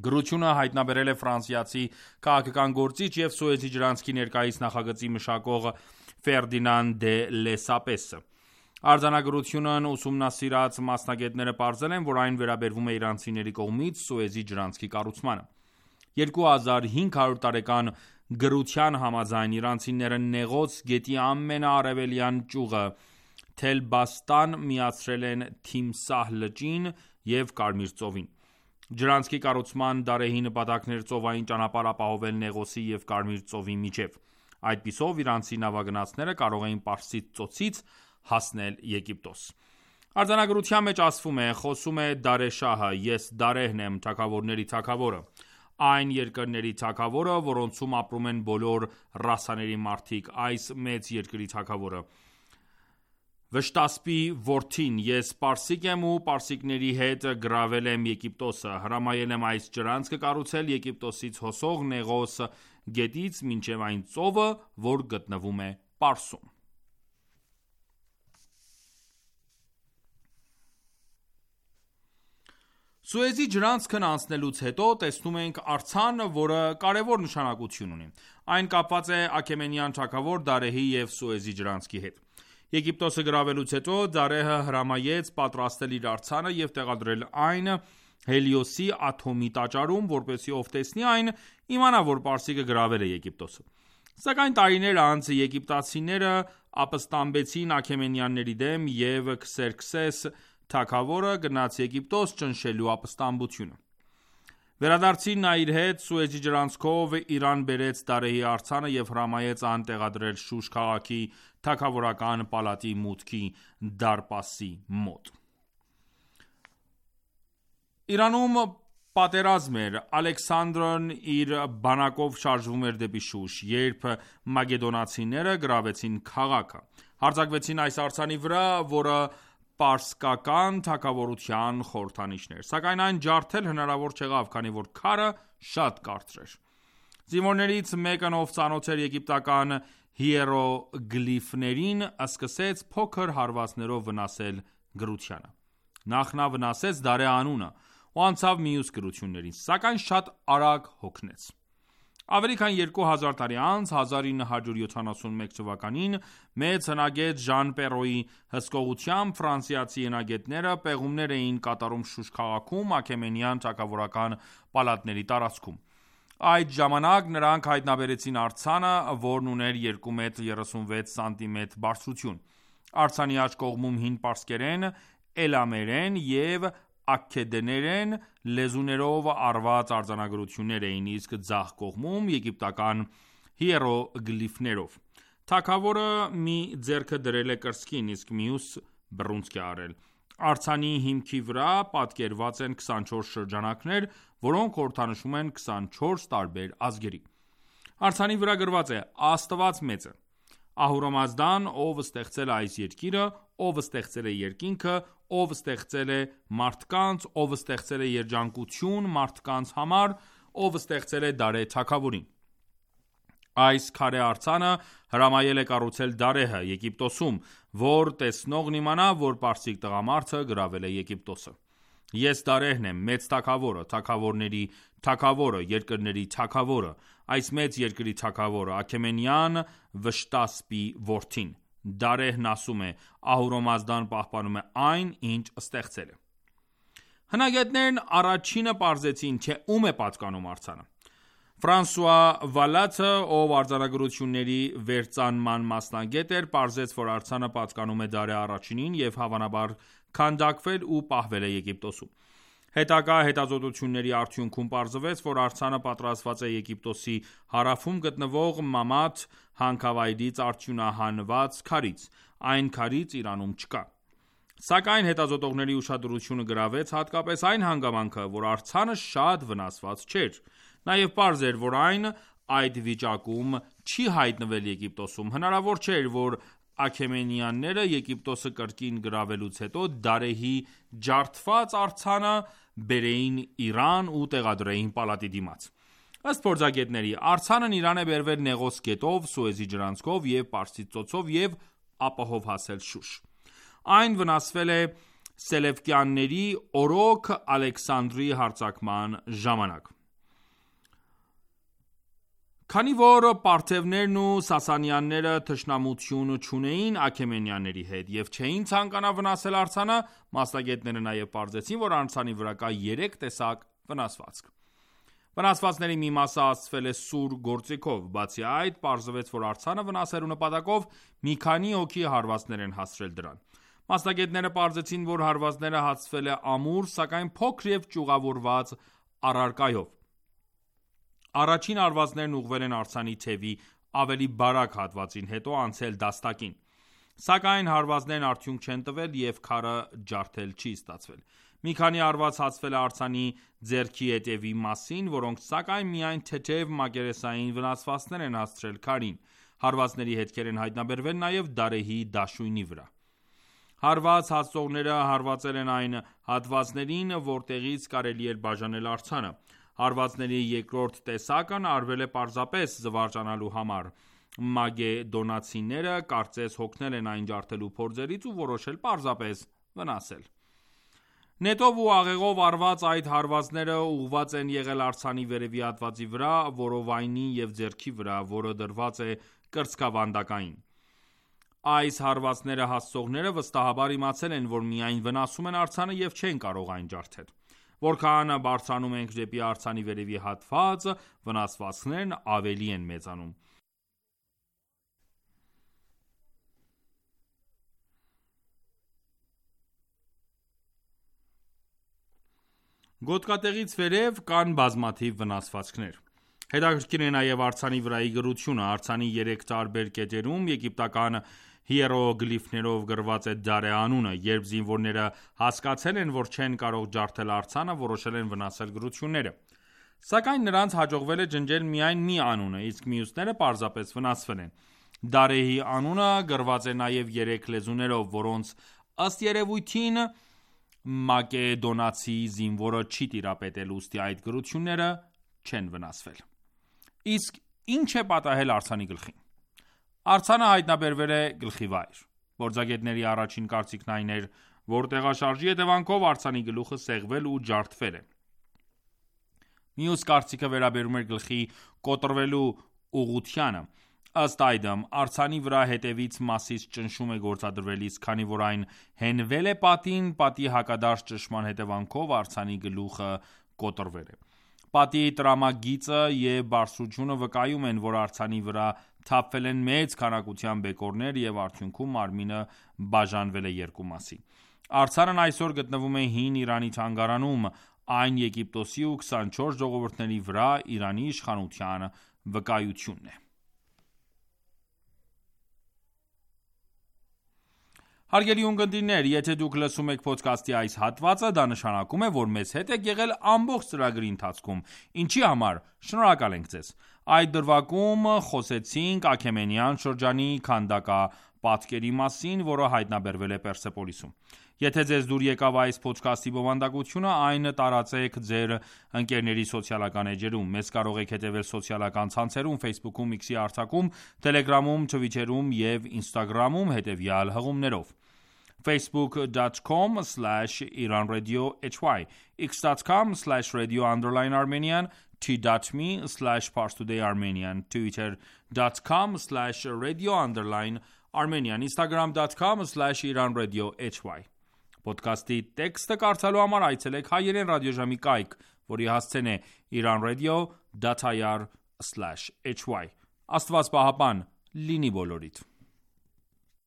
Գրությունը հայտնաբերել է ֆրանսիացի քաղաքական գործիչ և Սուեզի ջրանցքի ներկայիս նախագծի մշակող Ֆերդինանդ դե Լեսապեսը։ Արձանագրությունն ուսումնասիրած մասնագետները պարզել են, որ այն վերաբերվում է իրանցիների կողմից Սուեզի ջրանցքի կառուցմանը։ Երկու հազար հինգ հարյուր տարեկան գրության համաձայն իրանցիները Նեղոս գետի ամենաարևելյան ճյուղը Թել-Բաստան միացրել են Թիմսահ լճին և Կարմիր ծովին։ Ջրանցքի կառուցման Դարեհի նպատակն էր ծովային ճանապարհ ապահովել Նեղոսի և Կարմիր ծովի միջև։ Այդպիսով իրանցի նավագնացները կարող էին Պարսից ծոցից հասնել Եգիպտոս։ Արձանագրության մեջ ասվում է. «Խոսում է Դարե շահը, ես Դարեհն եմ, թագավորների թագավորը, այն երկրների թագավորը, որոնցում ապրում են բոլոր ռասաների մարդիկ, այս մեծ երկրի թագավորը, Վշտասպի որդին, ես պարսիկ եմ ու պարսիկների հետ գրավել եմ Եգիպտոսը, հրամայել եմ այս ջրանցքը կառուցել Եգիպտոսից հոսող Նեղոս գետից մինչև այն ծովը, որ գտնվում է Պարսում»։ Սուեզի ջրանցքն անցնելուց հետո տեսնում ենք արձան, որը կարևոր նշանակություն ունի։ Այն կապված է Աքեմենյան թագավոր Դարեհի և Սուեզի ջրանցքի հետ։ Եգիպտոսը գրավելուց հետո Դարեհը հրամայեց պատրաստել իր արձանը և տեղադրել այն Հելիոսի աթոմի տաճարում, որպեսզի ով տեսնի այն, իմանա, որ պարսիկը գրավել է Եգիպտոսը։ Սակայն տարիներ անց եգիպտացիները ապստամբեցին աքեմենյանների դեմ, և Քսերքսես թագավորը գնաց Եգիպտոս ճնշելու ապստամբությունը։ Վերադարձին նա իր հետ Սուեզի ջրանցքով Իրան բերեց Դարեհի արձանը և հրամայեց այն տեղադրել Շուշ քաղաքի թագավորական պալատի մուտքի դարպասի մոտ։ Իրանում պատերազմ էր։ Ալեքսանդրն իր բանակով շարժվում էր դեպի Շուշ, երբ մակեդոնացիները գրավեցին քաղաքը։ Հարձակվեցին այս արձանի վրա, որը պարսկական թագավորության խորհրդանիշն էր, սակայն այն ջարդել հնարավոր չեղավ, քանի որ քարը շատ կարճ էր։ Զինվորներից մեկն, ով ծանոթ էր եգիպտական հիերոգլիֆներին, սկսեց փոքր հարվածներով վնասել գրությանը։ Նախ նա վնասեց Դարե անունը ու անցավ մյուս գրություններին, սակայն շատ արագ հոգնեց։ Ավելի քան երկու հազար տարի անց, հազար ինը հարյուր յոթանասունմեկ թվականին, մեծ հնագետ Ժան Պերոյի հսկողությամբ ֆրանսիացի հնագետները պեղումներ էին կատարում Շուշ քաղաքում աքեմենյան թագավորական պալատների տարածքում։ Այդ ժամանակ նրանք հայտնաբերեցին արձանը, որն ուներ երկու մետր երեսունվեց սանտիմետր բարձրություն։ Արձանի աջ կողմում հին պարսկերեն, էլամերեն և աքքեդերեն լեզուներով արված արձանագրություններ էին, իսկ ձախ կողմում եգիպտական հիերոգլիֆներով։ Թագավորը մի ձեռքը դրել է կրծքին, իսկ մյուս բռունցք է արել։ Արձանի հիմքի վրա պատկերված են քսանչորս շրջանակներ, որոնք խորհրդանշում են քսանչորս տարբեր ազգերի։ Արձանի վրա գրված է. Աստված մեծ է։ Ահուրամազդան, ով ստեղծել է այս երկիրը, ով ստեղծել է երկինքը, ով ստեղծել է մարդկանց, ով ստեղծել է երջանկություն մարդկանց համար, ով ստեղծել է Դարե թագավորին։ Այս քարե արձանը հրամայել է կառուցել Դարեհը Եգիպտոսում, որ տեսնողն իմանա, որ պարսիկ տղամարդը գրավել է Եգիպտոսը։ Ես Դարեհն եմ, մեծ թագավորը, թագավորների թագավորը, երկրների թագավորը, այս մեծ երկրի թագավորը, Աքեմենյան Վշտասպի որդին։ Դարեհն ասում է. Ահուրամազդան պահպանում է այն, ինչ ստեղծել է։ Հնագետներն առաջինը պարզեցին, թե ում է պատկանում արձանը։ Ֆրանսուଆ Վալաթը, ով արձանագրությունների վերծանման մասնագետ էր, պարզեց, որ արձանը պատկանում է Դարեհ առաջինին և հավանաբար քանդակվել ու պահվել է Եգիպտոսում։ Հետագա հետազոտությունների արդյունքում պարզվեց, որ արձանը պատրաստված է Եգիպտոսի հարավում գտնվող Մամաթ հանքավայրից արդյունահանված քարից։ Այն քարից Իրանում չկա։ Սակայն հետազոտողների ուշադրությունը գրավեց հատկապես այն հանգամանքը, որ արձանը շատ վնասված չէր։ Նաև պարզ էր, որ այն այդ վիճակում չի հայտնվել Եգիպտոսում։ Հնարավոր չէր, որ Աքեմենյանները Եգիպտոսը կրկին գրավելուց հետո Դարեհի ջարդված արձանը բերեին Իրան ու տեղադրեին պալատի դիմաց։ Ըստ փորձագետների, արձանն Իրան է բերվել Նեղոս գետով, Սուեզի ջրանցքով և Պարսից ծոցով և ապահով հասել Շուշ։ Այն վնասվել է Սելևկյանների օրոք Ալեքսանդրի հարձակման ժամանակ։ Քանի որ պարթևներն ու սասանյանները թշնամություն չունեին Աքեմենյանների հետ և չէին ցանկանա վնասել արձանը, մասնագետները նաև պարզեցին, որ արձանի վրա կա երեք տեսակ վնասվածք։ Վնասվածքների մի մասը հասցվել է սուր գործիքով, բացի այդ, պարզվեց, որ արձանը վնասելու նպատակով մի քանի հոգի հարվածներ են հասցրել դրան։ Մասնագետները պարզեցին, որ հարվածները հասցվել է ամուր, սակայն փոքր և ճյուղավորված առարկայով։ Առաջին հարվածներն ուղղվել են արձանի թևի ավելի բարակ հատվածին, հետո անցել դաստակին։ Սակայն հարվածներն արդյունք չեն տվել և քարը ջարդել չի ստացվել։ Մի քանի հարված հասցվել է արձանի ձեռքի ետևի մասին, որոնք սակայն միայն թեթև մակերեսային վնասվածքներ են հասցրել քարին։ Հարվածների հետքեր են հայտնաբերվել նաև Դարեհի դաշույնի վրա։ Հարված հասցողները հարվածել են այն հատվածներին, որտեղից կարելի էր բաժանել արձանը։ Հարվածների երկրորդ տեսակն արվել է պարզապես զվարճանալու համար։ Մագեդոնացիները կարծես հոգնել են այն ջարդելու փորձերից ու որոշել պարզապես վնասել։ Նետով ու աղեղով արված այդ հարվածները ուղղված են եղել արձանի վերևի հատվածի վրա, որովայնի և ձեռքի վրա, որը դրված է կրծքավանդակային։ Այս հարվածները հասցողները վստահաբար իմացել են, որ միայն վնասում են արձանը և չեն կարող այն ջարդել։ Որքան բարձրանում ենք դեպի արձանի վերևի հատված, վնասվածքներն ավելի են մեծանում։ Գոտկատեղից վերև կան բազմաթիվ վնասվածքներ։ Հետաքրքիր է նաև արձանի վրայի գրությունը։ Արձանի երեք տարբեր կետերում եգիպտական հիերոգլիֆներով գրված է Դարեհ անունը։ Երբ զինվորները հասկացել են, որ չեն կարող ջարդել արձանը, որոշել են վնասել գրությունները։ Սակայն նրանց հաջողվել է ջնջել միայն մի անունը, իսկ մյուսները պարզապես վնասվել են։ Դարեհի անունը գրված է նաև երեք լեզուներով, որոնց ըստ երևույթին մակեդոնացի զինվորը չի տիրապետել, ուստի այդ գրությունները չեն վնասվել։ Իսկ ինչ է պատահել արձանի գլխին։ Արձանը հայտնաբերվել է գլխի վայր։ Փորձագետների առաջին կարծիքն այն էր, որ տեղաշարժի հետևանքով արձանի գլուխը սեղվել ու ջարդվել է։ Մյուս կարծիքը վերաբերում էր գլխի կոտրվելու ուղղությանը։ Ըստ այդմ, արձանի վրա հետևից մասից ճնշում է գործադրվել, իսկ քանի որ այն հենվել է պատին, պատի հակադարձ ճնշման հետևանքով արձանի գլուխը կոտրվել է։ Պատի տրամագիծը և բարձրությունը վկայում են, որ արձանի վրա թափվել են մեծ քանակությամբ բեկորներ և արդյունքում մարմինը բաժանվել է երկու մասի։ Արձանն այսօր գտնվում է հին Իրանի թանգարանում, այն Եգիպտոսի ու քսանչորս ժողովուրդների վրա Իրանի իշխանության վկայությունն է։ Հարգելի ունկնդիրներ, եթե դուք լսում եք ոդքասթի այս հատվածը, դա նշանակում է, որ մեզ հետ եք եղել ամբողջ ծրագրի ընթացքում, ինչի համար շնորհակալ ենք ձեզ։ Այդ դրվագում խոսեցինք Աքեմենյան շրջանի քանդակապատկերի մասին, որը հայտնաբերվել է Պերսեպոլիսում։ Եթե ձեզ դուր եկավ այս ոդքասթի բովանդակությունը, այն տարածեք ձեր ընկերների սոցիալական էջերում։ Մեզ կարող եք հետևել սոցիալական ցանցերում, Facebook-ում, X-ի արտակում, Telegram-ում, Twitter-ում և Instagram-ում հետևյալ հղումներով. facebook dot com slash iran radio h y, x dot com slash radio underline armenian, t dot m e slash parstoday armenian, twitter dot com slash radio underline armenian, instagram dot com slash iran radio h y։ Ոդքասթի տեքստը կարդալու համար այցելեք հայերեն ռադիոժամի կայք, որի հասցեն է iranradio dot i r slash h y։ Աստված պահապան լինի բոլորիդ։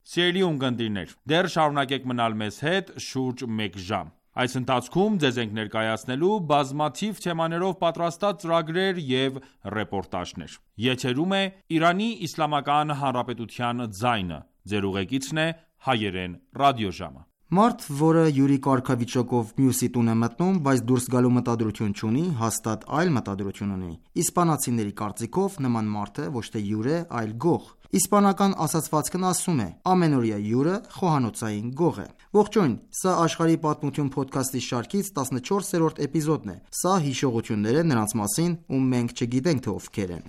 Սիրելի ունկնդիրներ, դեռ շարունակեք մնալ մեզ հետ շուրջ մեկ ժամ։ Այս ընթացքում ձեզ ենք ներկայացնելու բազմաթիվ թեմաներով պատրաստած ծրագրեր և ռեպորտաժներ։ Եթերում է Իրանի Իսլամական Հանրապետության ձայնը։ Ձեր ուղեկիցն է հայերեն ռադիոժամը։ Մարդ, որը յուրի կարգավիճակով մյուսի տուն է մտնում, բայց դուրս գալու մտադրություն չունի, հաստատ այլ մտադրություն ունի։ Իսպանացիների կարծիքով նման մարդը ոչ թե հյուր է, այլ գող։ Իսպանական ասացվածքն ասում է. ամենօրյա հյուրը խոհանոցային գող է։ Ողջույն, սա Աշխարհի պատմություն փոդքասթի շարքից տասնչորսերորդ էպիզոդն է։ Սա հիշողություններ է նրանց մասին, ում մենք չգիտենք, թե ովքեր են։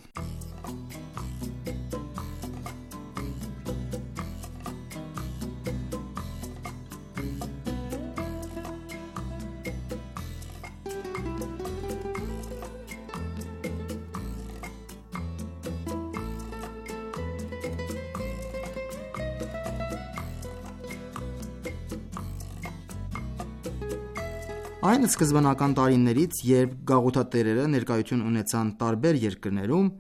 Այն սկզբնական տարիներից, երբ գաղութատերերը ներկայություն ունեցան տարբեր երկրներում,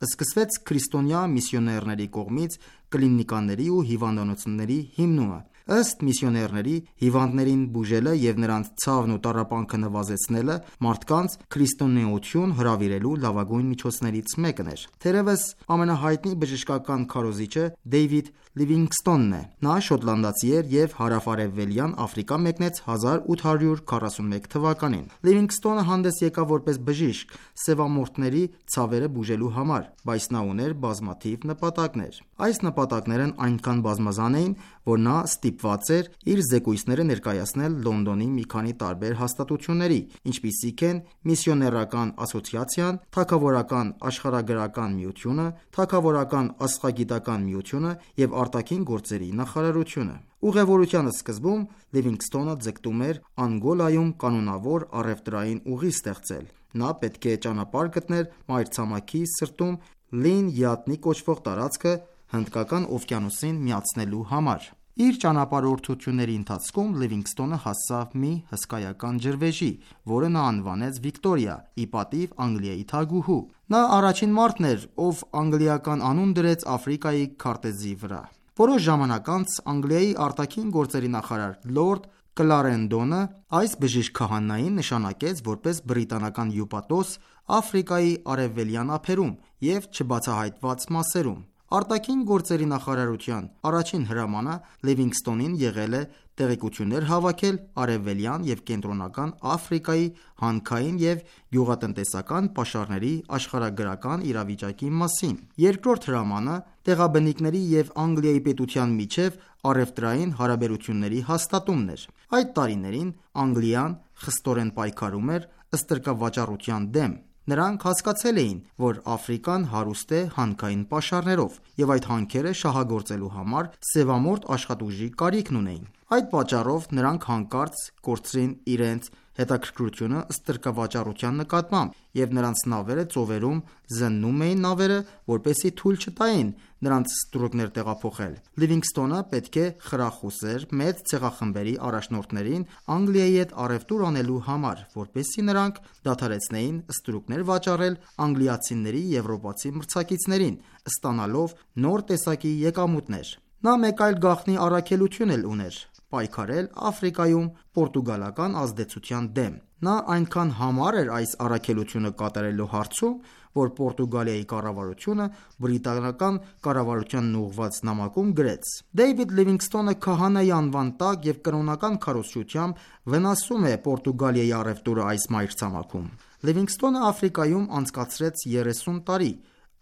սկսվեց քրիստոնյա միսիոներների կողմից կլինիկաների ու հիվանդանոցների հիմնումը։ Ըստ միսիոներների, հիվանդներին բուժելը և նրանց ցավն ու տառապանքը նվազեցնելը մարդկանց քրիստոնեություն հրավիրելու լավագույն միջոցներից մեկն էր։ Թերևս ամենահայտնի բժշկական քարոզիչը Դեյվիդ Լիվինգստոնն է։ Նա շոտլանդացի էր և հարավ-արևելյան Աֆրիկա մեկնեց հազար ութ հարյուր քառասունմեկ թվականին։ Լիվինգստոնը հանդես եկավ որպես բժիշկ սևամորթների ցավերը բուժելու համար, բայց նա ուներ բազմաթիվ նպատակներ։ Այս նպատակներն այնքան բազմազան էին, որ նա ստիպված էր իր զեկույցները ներկայացնել Լոնդոնի մի քանի տարբեր հաստատությունների, ինչպիսիք են Միսիոներական ասոցիացիան, Թագավորական աշխարհագրական միությունը, Թագավորական աստղագիտական միությունը և Արտաքին գործերի նախարարությունը։ Ուղևորության սկզբում Լիվինգստոնը ձգտում էր Անգոլայում կանոնավոր առևտրային ուղի ստեղծել։ Նա պետք է ճանապարհ գտներ մայրցամաքի սրտում Լին Յատնի կոչվող տարածքը Հնդկական օվկիանոսին միացնելու համար։ Իր ճանապարհորդությունների ընթացքում Լիվինգստոնը հասավ մի հսկայական ջրվեժի, որը նա անվանեց Վիկտորիա՝ ի պատիվ Անգլիայի թագուհու։ Նա առաջին մարդն էր, ով անգլիական անուն դրեց Աֆրիկայի քարտեզի վրա։ Որոշ ժամանակ անց Անգլիայի արտաքին գործերի նախարար Լորդ Կլարենդոնը այս բժիշկ քահանային նշանակեց որպես բրիտանական հյուպատոս Աֆրիկայի արևելյան ափերում և չբացահայտված մասերում։ Արտաքին գործերի նախարարության առաջին հրամանը Լիվինգստոնին եղել է տեղեկություններ հավաքել արևելյան և կենտրոնական Աֆրիկայի հանքային և գյուղատնտեսական պաշարների աշխարհագրական իրավիճակի մասին։ Երկրորդ հրամանը տեղաբնիկների և Անգլիայի պետության միջև առևտրային հարաբերությունների հաստատումն էր։ Այդ տարիներին Անգլիան խստորեն պայքարում էր ստրկավաճառության դեմ։ Նրանք հասկացել էին, որ Աֆրիկան հարուստ է հանքային պաշարներով, և այդ հանքերը շահագործելու համար սևամորթ աշխատուժի կարիքն ունեին։ Այդ պատճառով նրանք հանկարծ կորցրին իրենց հետաքրքրությունը ստրկավաճառության նկատմամբ, և նրանց նավերը ծովերում զննում էին նավերը, որպեսզի թույլ չտային նրանց ստրուկներ տեղափոխել։ Լիվինգստոնը պետք է խրախուսեր մեծ ցեղախմբերի առաջնորդներին Անգլիայի հետ առևտուր անելու համար, որպեսզի նրանք դադարեցնեին ստրուկներ վաճառել անգլիացիների եվրոպացի մրցակիցներին, ստանալով նոր տեսակի եկամուտներ։ Նա մեկ այլ գաղտնի առաքելություն էլ ուներ։ պայքարել Աֆրիկայում պորտուգալական ազդեցության դեմ։ Նա այնքան համառ էր այս առաքելությունը կատարելու հարցում, որ Պորտուգալիայի կառավարությունը բրիտանական կառավարությանն ուղղված նամակում գրեց. «Դեյվիդ Լիվինգսթոնը քահանայի անվան տակ և կրոնական քարոզչությամբ վնասում է Պորտուգալիայի առևտուրը այս մայրցամաքում»։ Լիվինգսթոնը Աֆրիկայում անցկացրեց երեսուն տարի՝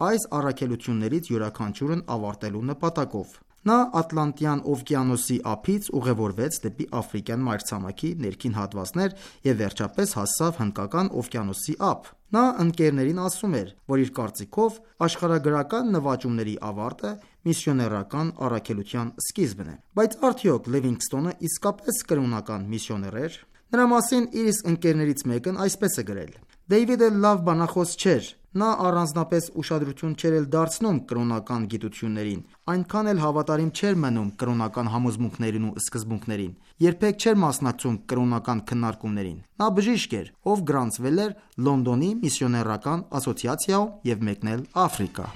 այս առաքելություններից յուրաքանչյուրն ավարտելու նպատակով։ Նա Ատլանտյան օվկիանոսի ափից ուղևորվեց դեպի Աֆրիկյան մայրցամաքի ներքին հատվածներ և վերջապես հասավ Հնդկական օվկիանոսի ափ։ Նա ընկերներին ասում էր, որ իր կարծիքով աշխարհագրական նվաճումների ավարտը միսիոներական առաքելության սկիզբն է։ Բայց արդյոք Լիվինգսթոնը իսկապես կրոնական միսիոներ էր։ Նրա մասին իր իսկ ընկերներից մեկն այսպես է գրել. «Դեյվիդը լավ բանախոս չէր։ Նա առանձնապես ուշադրություն չէր էլ դարձնում կրոնական գիտություններին, այնքան էլ հավատարիմ չէր մնում կրոնական համոզմունքներին ու սկզբունքներին, երբեք չէր մասնակցում կրոնական քննարկումներին։ Նա բժիշկ էր, ով գրանցվել էր Լոնդոնի միսիոներական ասոցիացիայում և մեկնել Աֆրիկա»։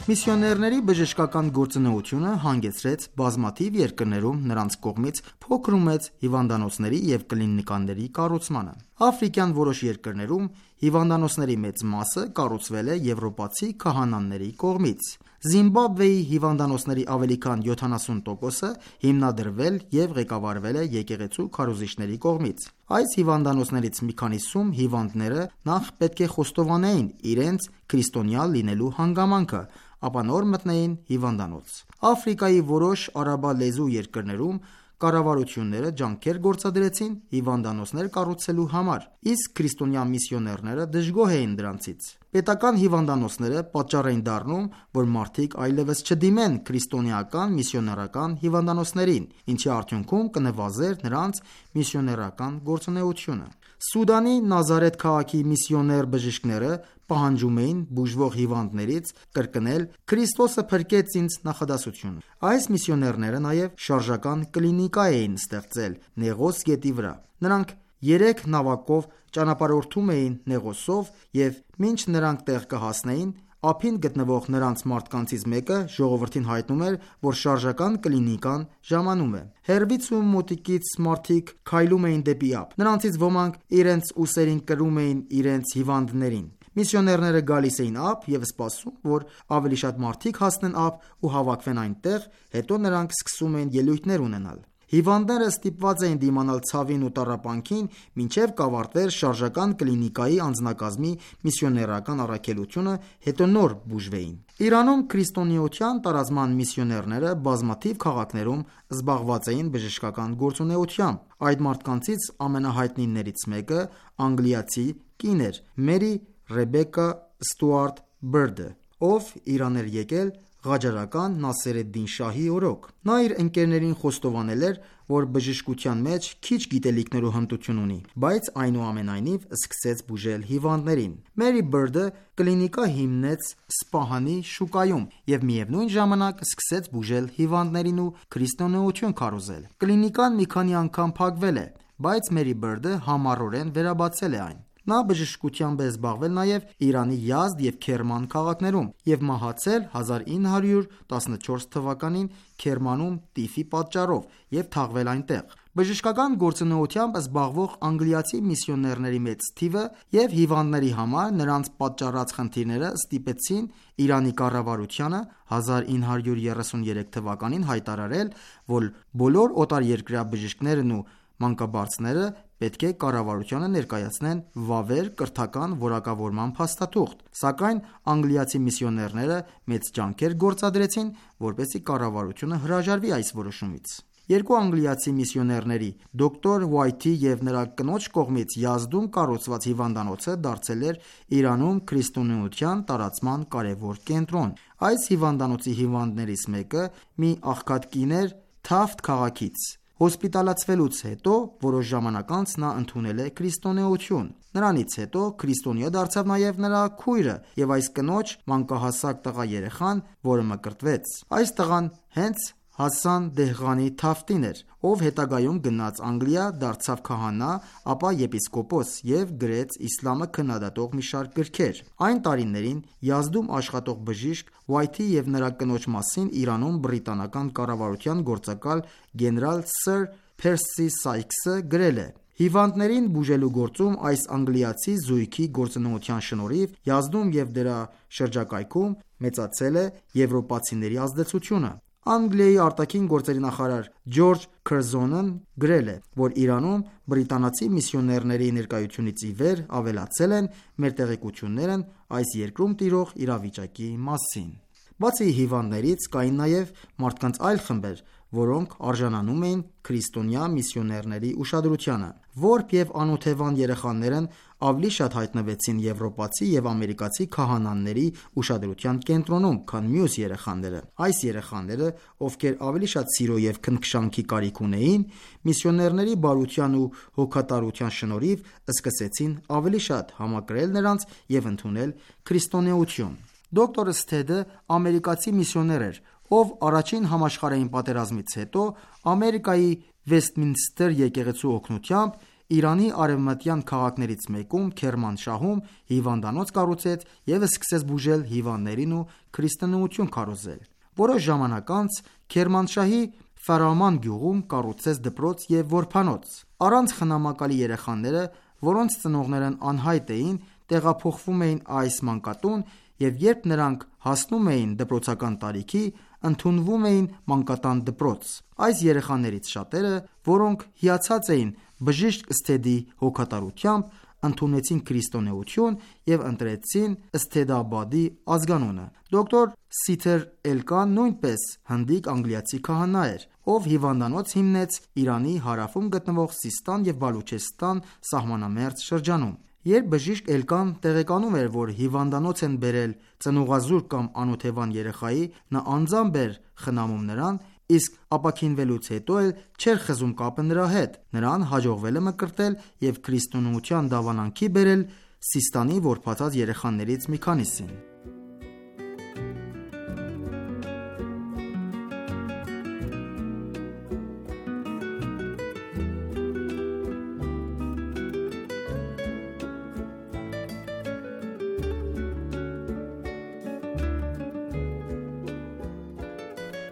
Միսիոներների բժշկական գործունեությունը հանգեցրեց բազմաթիվ երկրներում նրանց կողմից փոքր ու մեծ հիվանդանոցների և կլինիկաների կառուցմանը։ Աֆրիկյան որոշ երկրներում հիվանդանոցների մեծ մասը կառուցվել է եվրոպացի քահանաների կողմից։ Զիմբաբվեի հիվանդանոցների ավելի քան յոթանասուն տոկոսը հիմնադրվել և ղեկավարվել է եկեղեցու քարոզիչների կողմից։ Այս հիվանդանոցներից մի քանիսում հիվանդները նախ պետք է խոստովանեին իրենց քրիստոնյա լինելու հանգամանքը, ապա նոր մտնեին հիվանդանոց։ Աֆրիկայի որոշ արաբալեզու երկրներում կառավարությունները ջանքեր գործադրեցին հիվանդանոցներ կառուցելու համար, իսկ քրիստոնյա միսիոներները դժգոհ էին դրանցից։ Պետական հիվանդանոցները պատճառ էին դառնում, որ մարդիկ այլևս չդիմեն քրիստոնեական միսիոներական հիվանդանոցներին, ինչի արդյունքում կնվազեր նրանց միսիոներական գործունեությունը։ Սուդանի Նազարեթ քաղաքի միսիոներ բժիշկները պահանջում էին բուժվող հիվանդներից կրկնել «Քրիստոսը փրկեց ինձ» նախադասությունը։ Այս միսիոներները նաև շարժական կլինիկա էին ստեղծել Նեղոս գետի վրա։ Նրանք երեք նավակով ճանապարհորդում էին Նեղոսով և մինչ նրանք տեղ կհասնեին, ափին գտնվող նրանց մարդկանցից մեկը ժողովրդին հայտնում էր, որ շարժական կլինիկան ժամանում է։ Հեռվից ու մոտիկից մարդիկ քայլում էին դեպի ափ։ Նրանցից ոմանք իրենց ուսերին կրում էին իրենց հիվանդներին։ Միսիոներները գալիս էին ափ և սպասում, որ ավելի շատ մարդիկ հասնեն ափ ու հավաքվեն այնտեղ, հետո նրանք սկսում էին ելույթներ ունենալ։ Հիվանդները ստիպված էին դիմանալ ցավին ու տառապանքին, մինչև կավարտվեր շարժական կլինիկայի անձնակազմի միսիոներական առաքելությունը, հետո նոր բուժվեին։ Իրանում քրիստոնեության տարածման միսիոներները բազմաթիվ քաղաքներում զբաղված էին բժշկական գործունեությամբ։ Այդ մարդկանցից ամենահայտնիներից մեկը անգլիացի կին էր՝ Մերի Ռեբեկա Ստուարտ Բըրդը, ով Իրան էր եկել Ղաջարական Նասեր-էդ-Դին շահի օրոք։ Նա իր ընկերներին խոստովանել էր, որ բժշկության մեջ քիչ գիտելիքներ ու հմտություն ունի, բայց այնուամենայնիվ սկսեց բուժել հիվանդներին։ Մերի Բըրդը կլինիկա հիմնեց Սպահանի շուկայում և միևնույն ժամանակ սկսեց բուժել հիվանդներին ու քրիստոնեություն քարոզել։ Կլինիկան մի քանի անգամ փակվել է, բայց Մերի Բըրդը համառորեն վերաբացել է այն։ Նա բժշկությամբ է զբաղվել նաև Իրանի Յազդ և Քերման քաղաքներում և մահացել հազար ինը հարյուր տասնչորս թվականին Քերմանում տիֆի պատճառով և թաղվել այնտեղ։ Բժշկական գործունեությամբ զբաղվող անգլիացի միսիոներների մեծ թիվը և հիվանդների համար նրանց պատճառած խնդիրները ստիպեցին Իրանի կառավարությանը հազար ինը հարյուր երեսուներեք թվականին հայտարարել, որ բոլոր օտարերկրյա բժիշկներն ու մանկաբարձները պետք է կառավարությանը ներկայացնեն վավեր կրթական որակավորման փաստաթուղթ, սակայն անգլիացի միսիոներները մեծ ջանքեր գործադրեցին, որպեսզի կառավարությունը հրաժարվի այս որոշումից։ Երկու անգլիացի միսիոներների՝ դոկտոր Ուայթի և նրա կնոջ կողմից Յազդում կառուցված հիվանդանոցը դարձել էր Իրանում քրիստոնեության տարածման կարևոր կենտրոն։ Այս հիվանդանոցի հիվանդներից մեկը մի աղքատ կին էր Թաֆթ քաղաքից, Հոսպիտալացվելուց հետո որոշ ժամանակ անց նա ընդունել է քրիստոնեություն։ Նրանից հետո քրիստոնյա դարձավ նաև նրա քույրը և այս կնոջ մանկահասակ տղա երեխան, որը մկրտվեց։ Այս տղան հենց Հասան Դեհղանի Թաֆտին էր, ով հետագայում գնաց Անգլիա, դարձավ քահանա, ապա եպիսկոպոս և գրեց իսլամը քննադատող մի շարք գրքեր։ Այն տարիներին Յազդում աշխատող բժիշկ Ուայթի և նրա կնոջ մասին Իրանում բրիտանական կառավարության գործակալ գեներալ սըր Փերսի Սայքսը գրել է. Հիվանդներին բուժելու գործում այս անգլիացի զույգի գործունեության շնորհիվ Յազդում և դրա շրջակայքում մեծացել է եվրոպացիների ազդեցությունը։ Անգլիայի արտաքին գործերի նախարար Ջորջ Քըրզոնն գրել է, որ Իրանում բրիտանացի միսիոներների ներկայությունից ի վեր ավելացել են մեր տեղեկություններն այս երկրում տիրող իրավիճակի մասին։ Բացի հիվանդներից կային նաև մարդկանց այլ խմբեր, որոնք արժանանում էին քրիստոնյա միսիոներների ուշադրությանը։ Որբ և անօթևան երեխաներն ավելի շատ հայտնվեցին եվրոպացի և ամերիկացի քահանաների ուշադրության կենտրոնում, քան մյուս երեխաները։ Այս երեխաները, ովքեր ավելի շատ սիրո և քնքշանքի կարիք ունեին, միսիոներների բարության ու հոգատարության շնորհիվ սկսեցին ավելի շատ համակրել նրանց և ընդունել քրիստոնեություն։ Դոկտոր Սթեդը ամերիկացի միսիոներ էր, ով առաջին համաշխարհային պատերազմից հետո Ամերիկայի Վեսթմինստր եկեղեցու օգնությամբ Իրանի արևմտյան քաղաքներից մեկում Քերմանշահում հիվանդանոց կառուցեց և սկսեց բուժել հիվանդներին ու քրիստոնեություն քարոզել։ Որոշ ժամանակ անց Քերմանշահի Ֆարաման գյուղում կառուցեց դպրոց և որբանոց։ Առանց խնամակալի երեխաները, որոնց ծնողներն անհայտ էին, տեղափոխվում էին այս մանկատուն և երբ նրանք հասնում էին դպրոցական տարիքի, ընդունվում էին մանկատան դպրոց։ Այս երեխաներից շատերը, որոնք հիացած էին բժիշկ Սթեդի հոգատարությամբ, ընդունեցին քրիստոնեություն և ընտրեցին Սթեդաբադի ազգանունը։ Դոկտոր Սիթեր Էլկան նույնպես հնդիկ անգլիացի քահանա էր, ով հիվանդանոց հիմնեց Իրանի հարավում գտնվող Սիստան և Բալուչեստան սահմանամերձ շրջանում։ Երբ բժիշկ Էլկան տեղեկանում էր, որ հիվանդանոց են բերել ծնողազուրկ կամ անօթևան երեխայի, նա անձամբ էր խնամում նրան, իսկ ապաքինվելուց հետո էլ չէր խզում կապը նրա հետ։ Նրան հաջողվել է մկրտել և քրիստոնեության դավանանքի բերել Սիստանի որբացած երեխաներից մի քանիսին։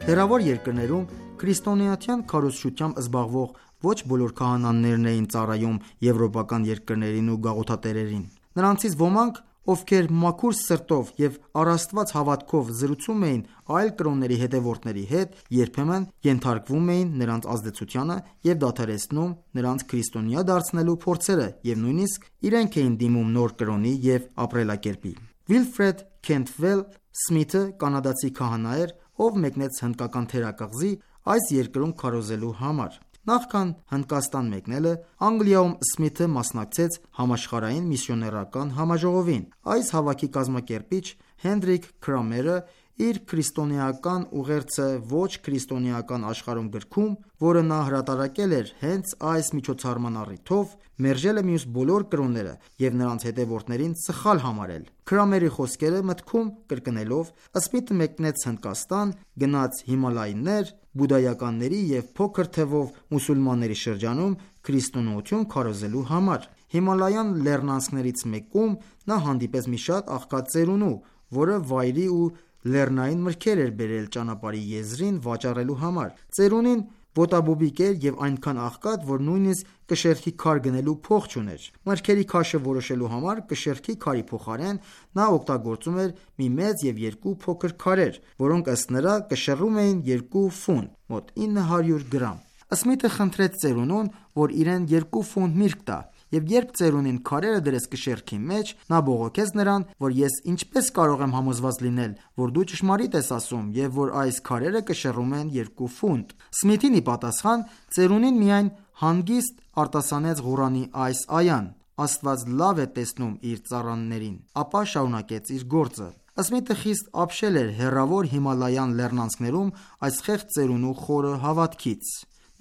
Հեռավոր երկրներում քրիստոնեության քարոզչությամբ զբաղվող ոչ բոլոր քահանաներն էին ծառայում եվրոպական երկրներին ու գաղութատերերին։ Նրանցից ոմանք, ովքեր մաքուր սրտով և առաստված հավատքով զրուցում էին այլ կրոնների հետևորդների հետ, երբեմն ենթարկվում էին նրանց ազդեցությանը և դադարեցնում նրանց քրիստոնյա դարձնելու փորձերը և նույնիսկ իրենք էին դիմում նոր կրոնի և ապրելակերպի։ Վիլֆրեդ Քենթվել Սմիթը կանադացի քահանա էր, ով մեկնեց հնդկական թերակղզի այս երկրում քարոզելու համար։ Նախքան Հնդկաստան մեկնելը, Անգլիայում Սմիթը մասնակցեց համաշխարհային միսիոներական համաժողովին։ Այս հավաքի կազմակերպիչ Հենրիկ Քրամերը իր քրիստոնեական ուղերձը ոչ քրիստոնեական աշխարհում գրքում, որը նա հրատարակել էր հենց այս միջոցառման առիթով, մերժել է մյուս բոլոր կրոնները և նրանց հետևորդներին սխալ համարել։ Քրամերի խոսքերը մտքում կրկնելով, Սմիթը մեկնեց Հնդկաստան, գնաց Հիմալայներ, բուդդայականների և փոքր թվով մուսուլմանների շրջանում քրիստոնեություն քարոզելու համար։ Հիմալայան լեռնանցքներից մեկում նա հանդիպեց մի շատ աղքատ ծերունու, որը վայրի ու լեռնային մրգեր էր բերել ճանապարհի եզրին վաճառելու համար։ Ծերունին ոտաբոբիկ էր և այնքան աղքատ, որ նույնիսկ կշեռքի քար գնելու փող չուներ։ Մրգերի քաշը որոշելու համար կշեռքի քարի փոխարեն նա օգտագործում էր մի մեծ և երկու փոքր քարեր, որոնք ըստ նրա կշռում էին երկու ֆունտ (մոտ ինը հարյուր գրամ)։ Սմիթը խնդրեց ծերունուն, որ իրեն երկու ֆունտ միրգ տա, և երբ ծերունին քարերը դրեց կշեռքի մեջ, նա բողոքեց նրան, որ ես ինչպես կարող եմ համոզված լինել, որ դու ճշմարիտ ես ասում և որ այս քարերը կշռում են երկու ֆունտ։ Սմիթին ի պատասխան, ծերունին միայն հանգիստ արտասանեց Ղուրանի այս այան. «Աստված լավ է տեսնում իր ծառաներին», ապա շարունակեց իր գործը։ Սմիթը խիստ ապշել էր հեռավոր Հիմալայան լեռնանցքներում այս խեղճ ծերունու խորը հավատքից։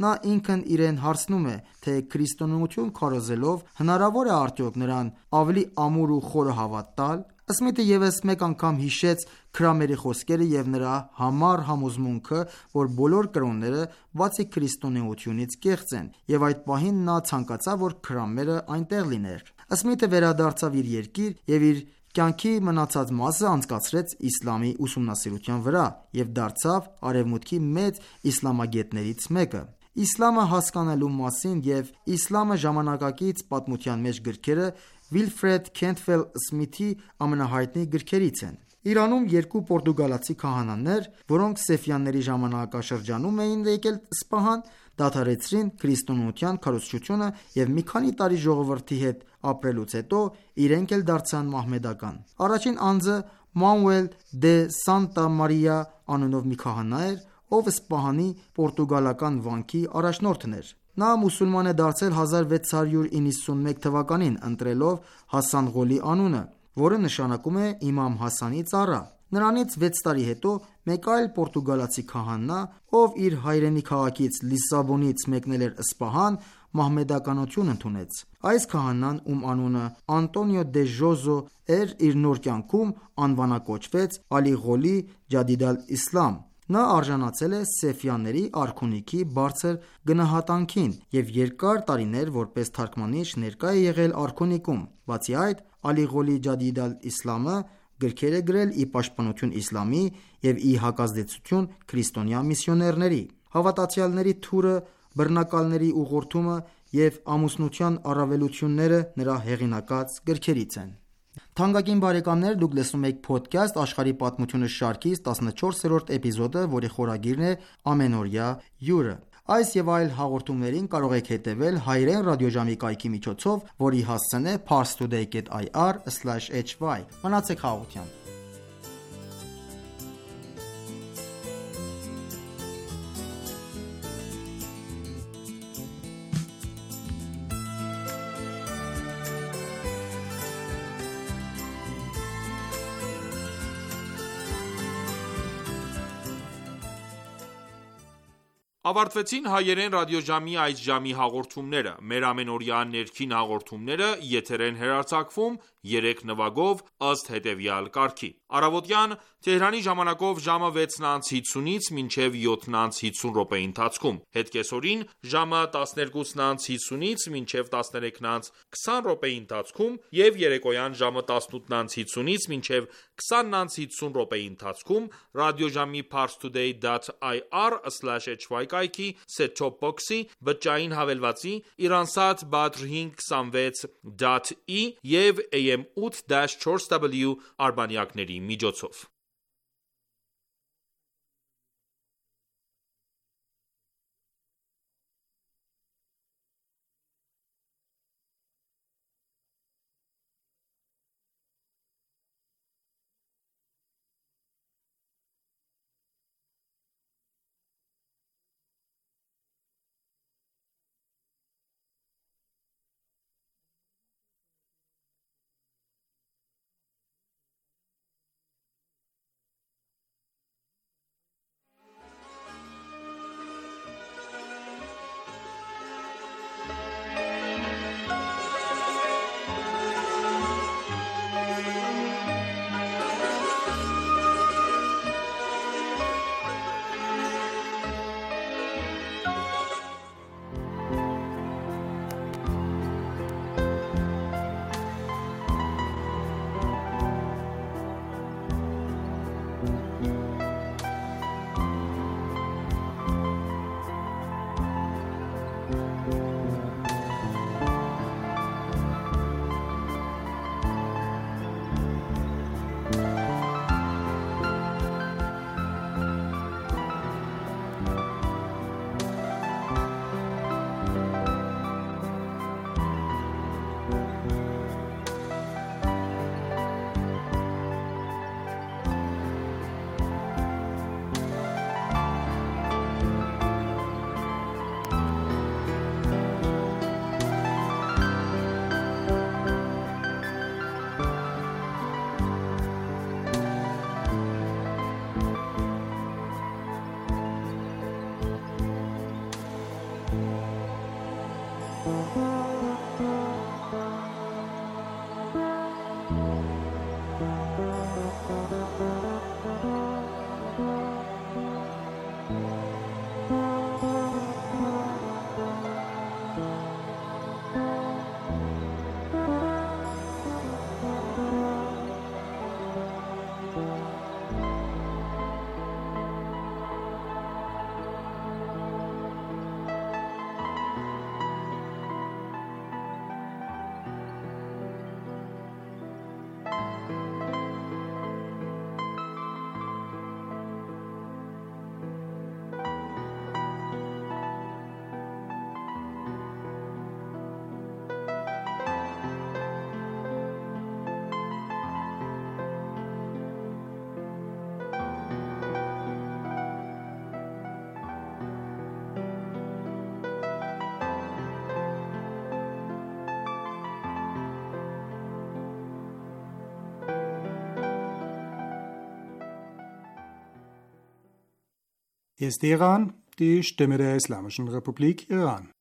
Նա ինքն իրեն հարցնում է, թե քրիստոնեություն քարոզելով հնարավոր է արդյոք նրան ավելի ամուր ու խորը հավատ տալ։ Սմիթը ևս մեկ անգամ հիշեց Քրամերի խոսքերը և նրա համառ համոզմունքը, որ բոլոր կրոնները, բացի քրիստոնեությունից, կեղծ են, և այդ պահին նա ցանկացավ, որ Քրամերը այնտեղ լիներ։ Սմիթը վերադարձավ իր երկիր և իր կյանքի մնացած մասը անցկացրեց իսլամի ուսումնասիրության վրա և դարձավ Արևմուտքի մեծ իսլամագետներից մեկը։ Իսլամը հասկանալու մասին և իսլամը ժամանակակից պատմության մեջ գրքերը Վիլֆրեդ Քենթվել Սմիթի ամենահայտնի գրքերից են։ Իրանում երկու պորտուգալացի քահանաներ, որոնք Սեֆյանների ժամանակաշրջանում էին եկել Սպահան, դադարեցրին քրիստոնեության քարոզչությունը և մի քանի տարի ժողովրդի հետ ապրելուց հետո իրենք էլ դարձան մահմեդական։ Առաջին անձը Մանուել դե Սանտա Մարիա անունով մի քահանա էր, ով Սպահանի պորտուգալական վանքի առաջնորդն էր։ Նա մուսուլման է դարձել հազար վեց հարյուր իննսունմեկ թվականին, ընտրելով Հասան Ղոլի անունը, որը նշանակում է Իմամ Հասանի ծառա։ Նրանից վեց տարի հետո մեկ այլ պորտուգալացի քահանա, ով իր հայրենի քաղաքից Լիսաբոնից մեկնել էր Սպահան, մահմեդականություն ընդունեց։ Այս քահանան, ում անունը Անտոնիո դե Ժոզո էր, իր նոր կյանքում անվանակոչվեց Ալի Ղոլի Ջադիդ ալ-Իսլամ։ Նա արժանացել է Սեֆյանների արքունիքի բարձր գնահատանքին և երկար տարիներ որպես թարգմանիչ ներկա է եղել արքունիքում։ Բացի այդ, Ալի Ղոլի Ջադիդ ալ-Իսլամը գրքեր է գրել ի պաշտպանություն իսլամի և ի հակազդեցություն քրիստոնյա միսիոներների։ Հավատացյալների թուրը, բռնակալների ուղղորդումը և ամուսնության առավելությունները նրա հեղինակած գրքերից են։ Թանկագին բարեկամներ, դուք լսում եք «Փոդքասթ աշխարհի պատմությունը» շարքից տասնչորսերորդ էպիզոդը, որի խորագիրն է «Ամենօրյա հյուրը»։ Այս և այլ հաղորդումներին կարող եք հետևել հայրեն ռադիոժամի կայքի միջոցով, որի հասցեն է parstoday dot i r slash h y։ Մնացեք հաղորդությամբ։ Ավարտվեցին հայերեն ռադիոժամի այս ժամի հաղորդումները։ Մեր ամենօրյա ներքին հաղորդումները եթեր են հեռարձակվում երեք նվագով ըստ հետևյալ կարգի. Առավոտյան Թեհրանի ժամանակով ժամը վեցն անց հիսունից մինչև յոթն անց հիսուն րոպեի ընթացքում, հետ կեսօրին ժամը տասներկուսն անց հիսունից մինչև տասներեքն անց քսան րոպեի ընթացքում և երեկոյան ժամը տասնութն անց հիսունից մինչև քսանն անց հիսուն րոպեի ընթացքում ռադիոժամի parstoday dot i r slash h y կայքի set-top box-ի, բջջային հավելվածի, Iransat Badr հինգ քսանվեց դոտ ի և A M ութ չորս W արբանյակների միջոցով։ Hier ist Iran, die Stimme der Islamischen Republik Iran.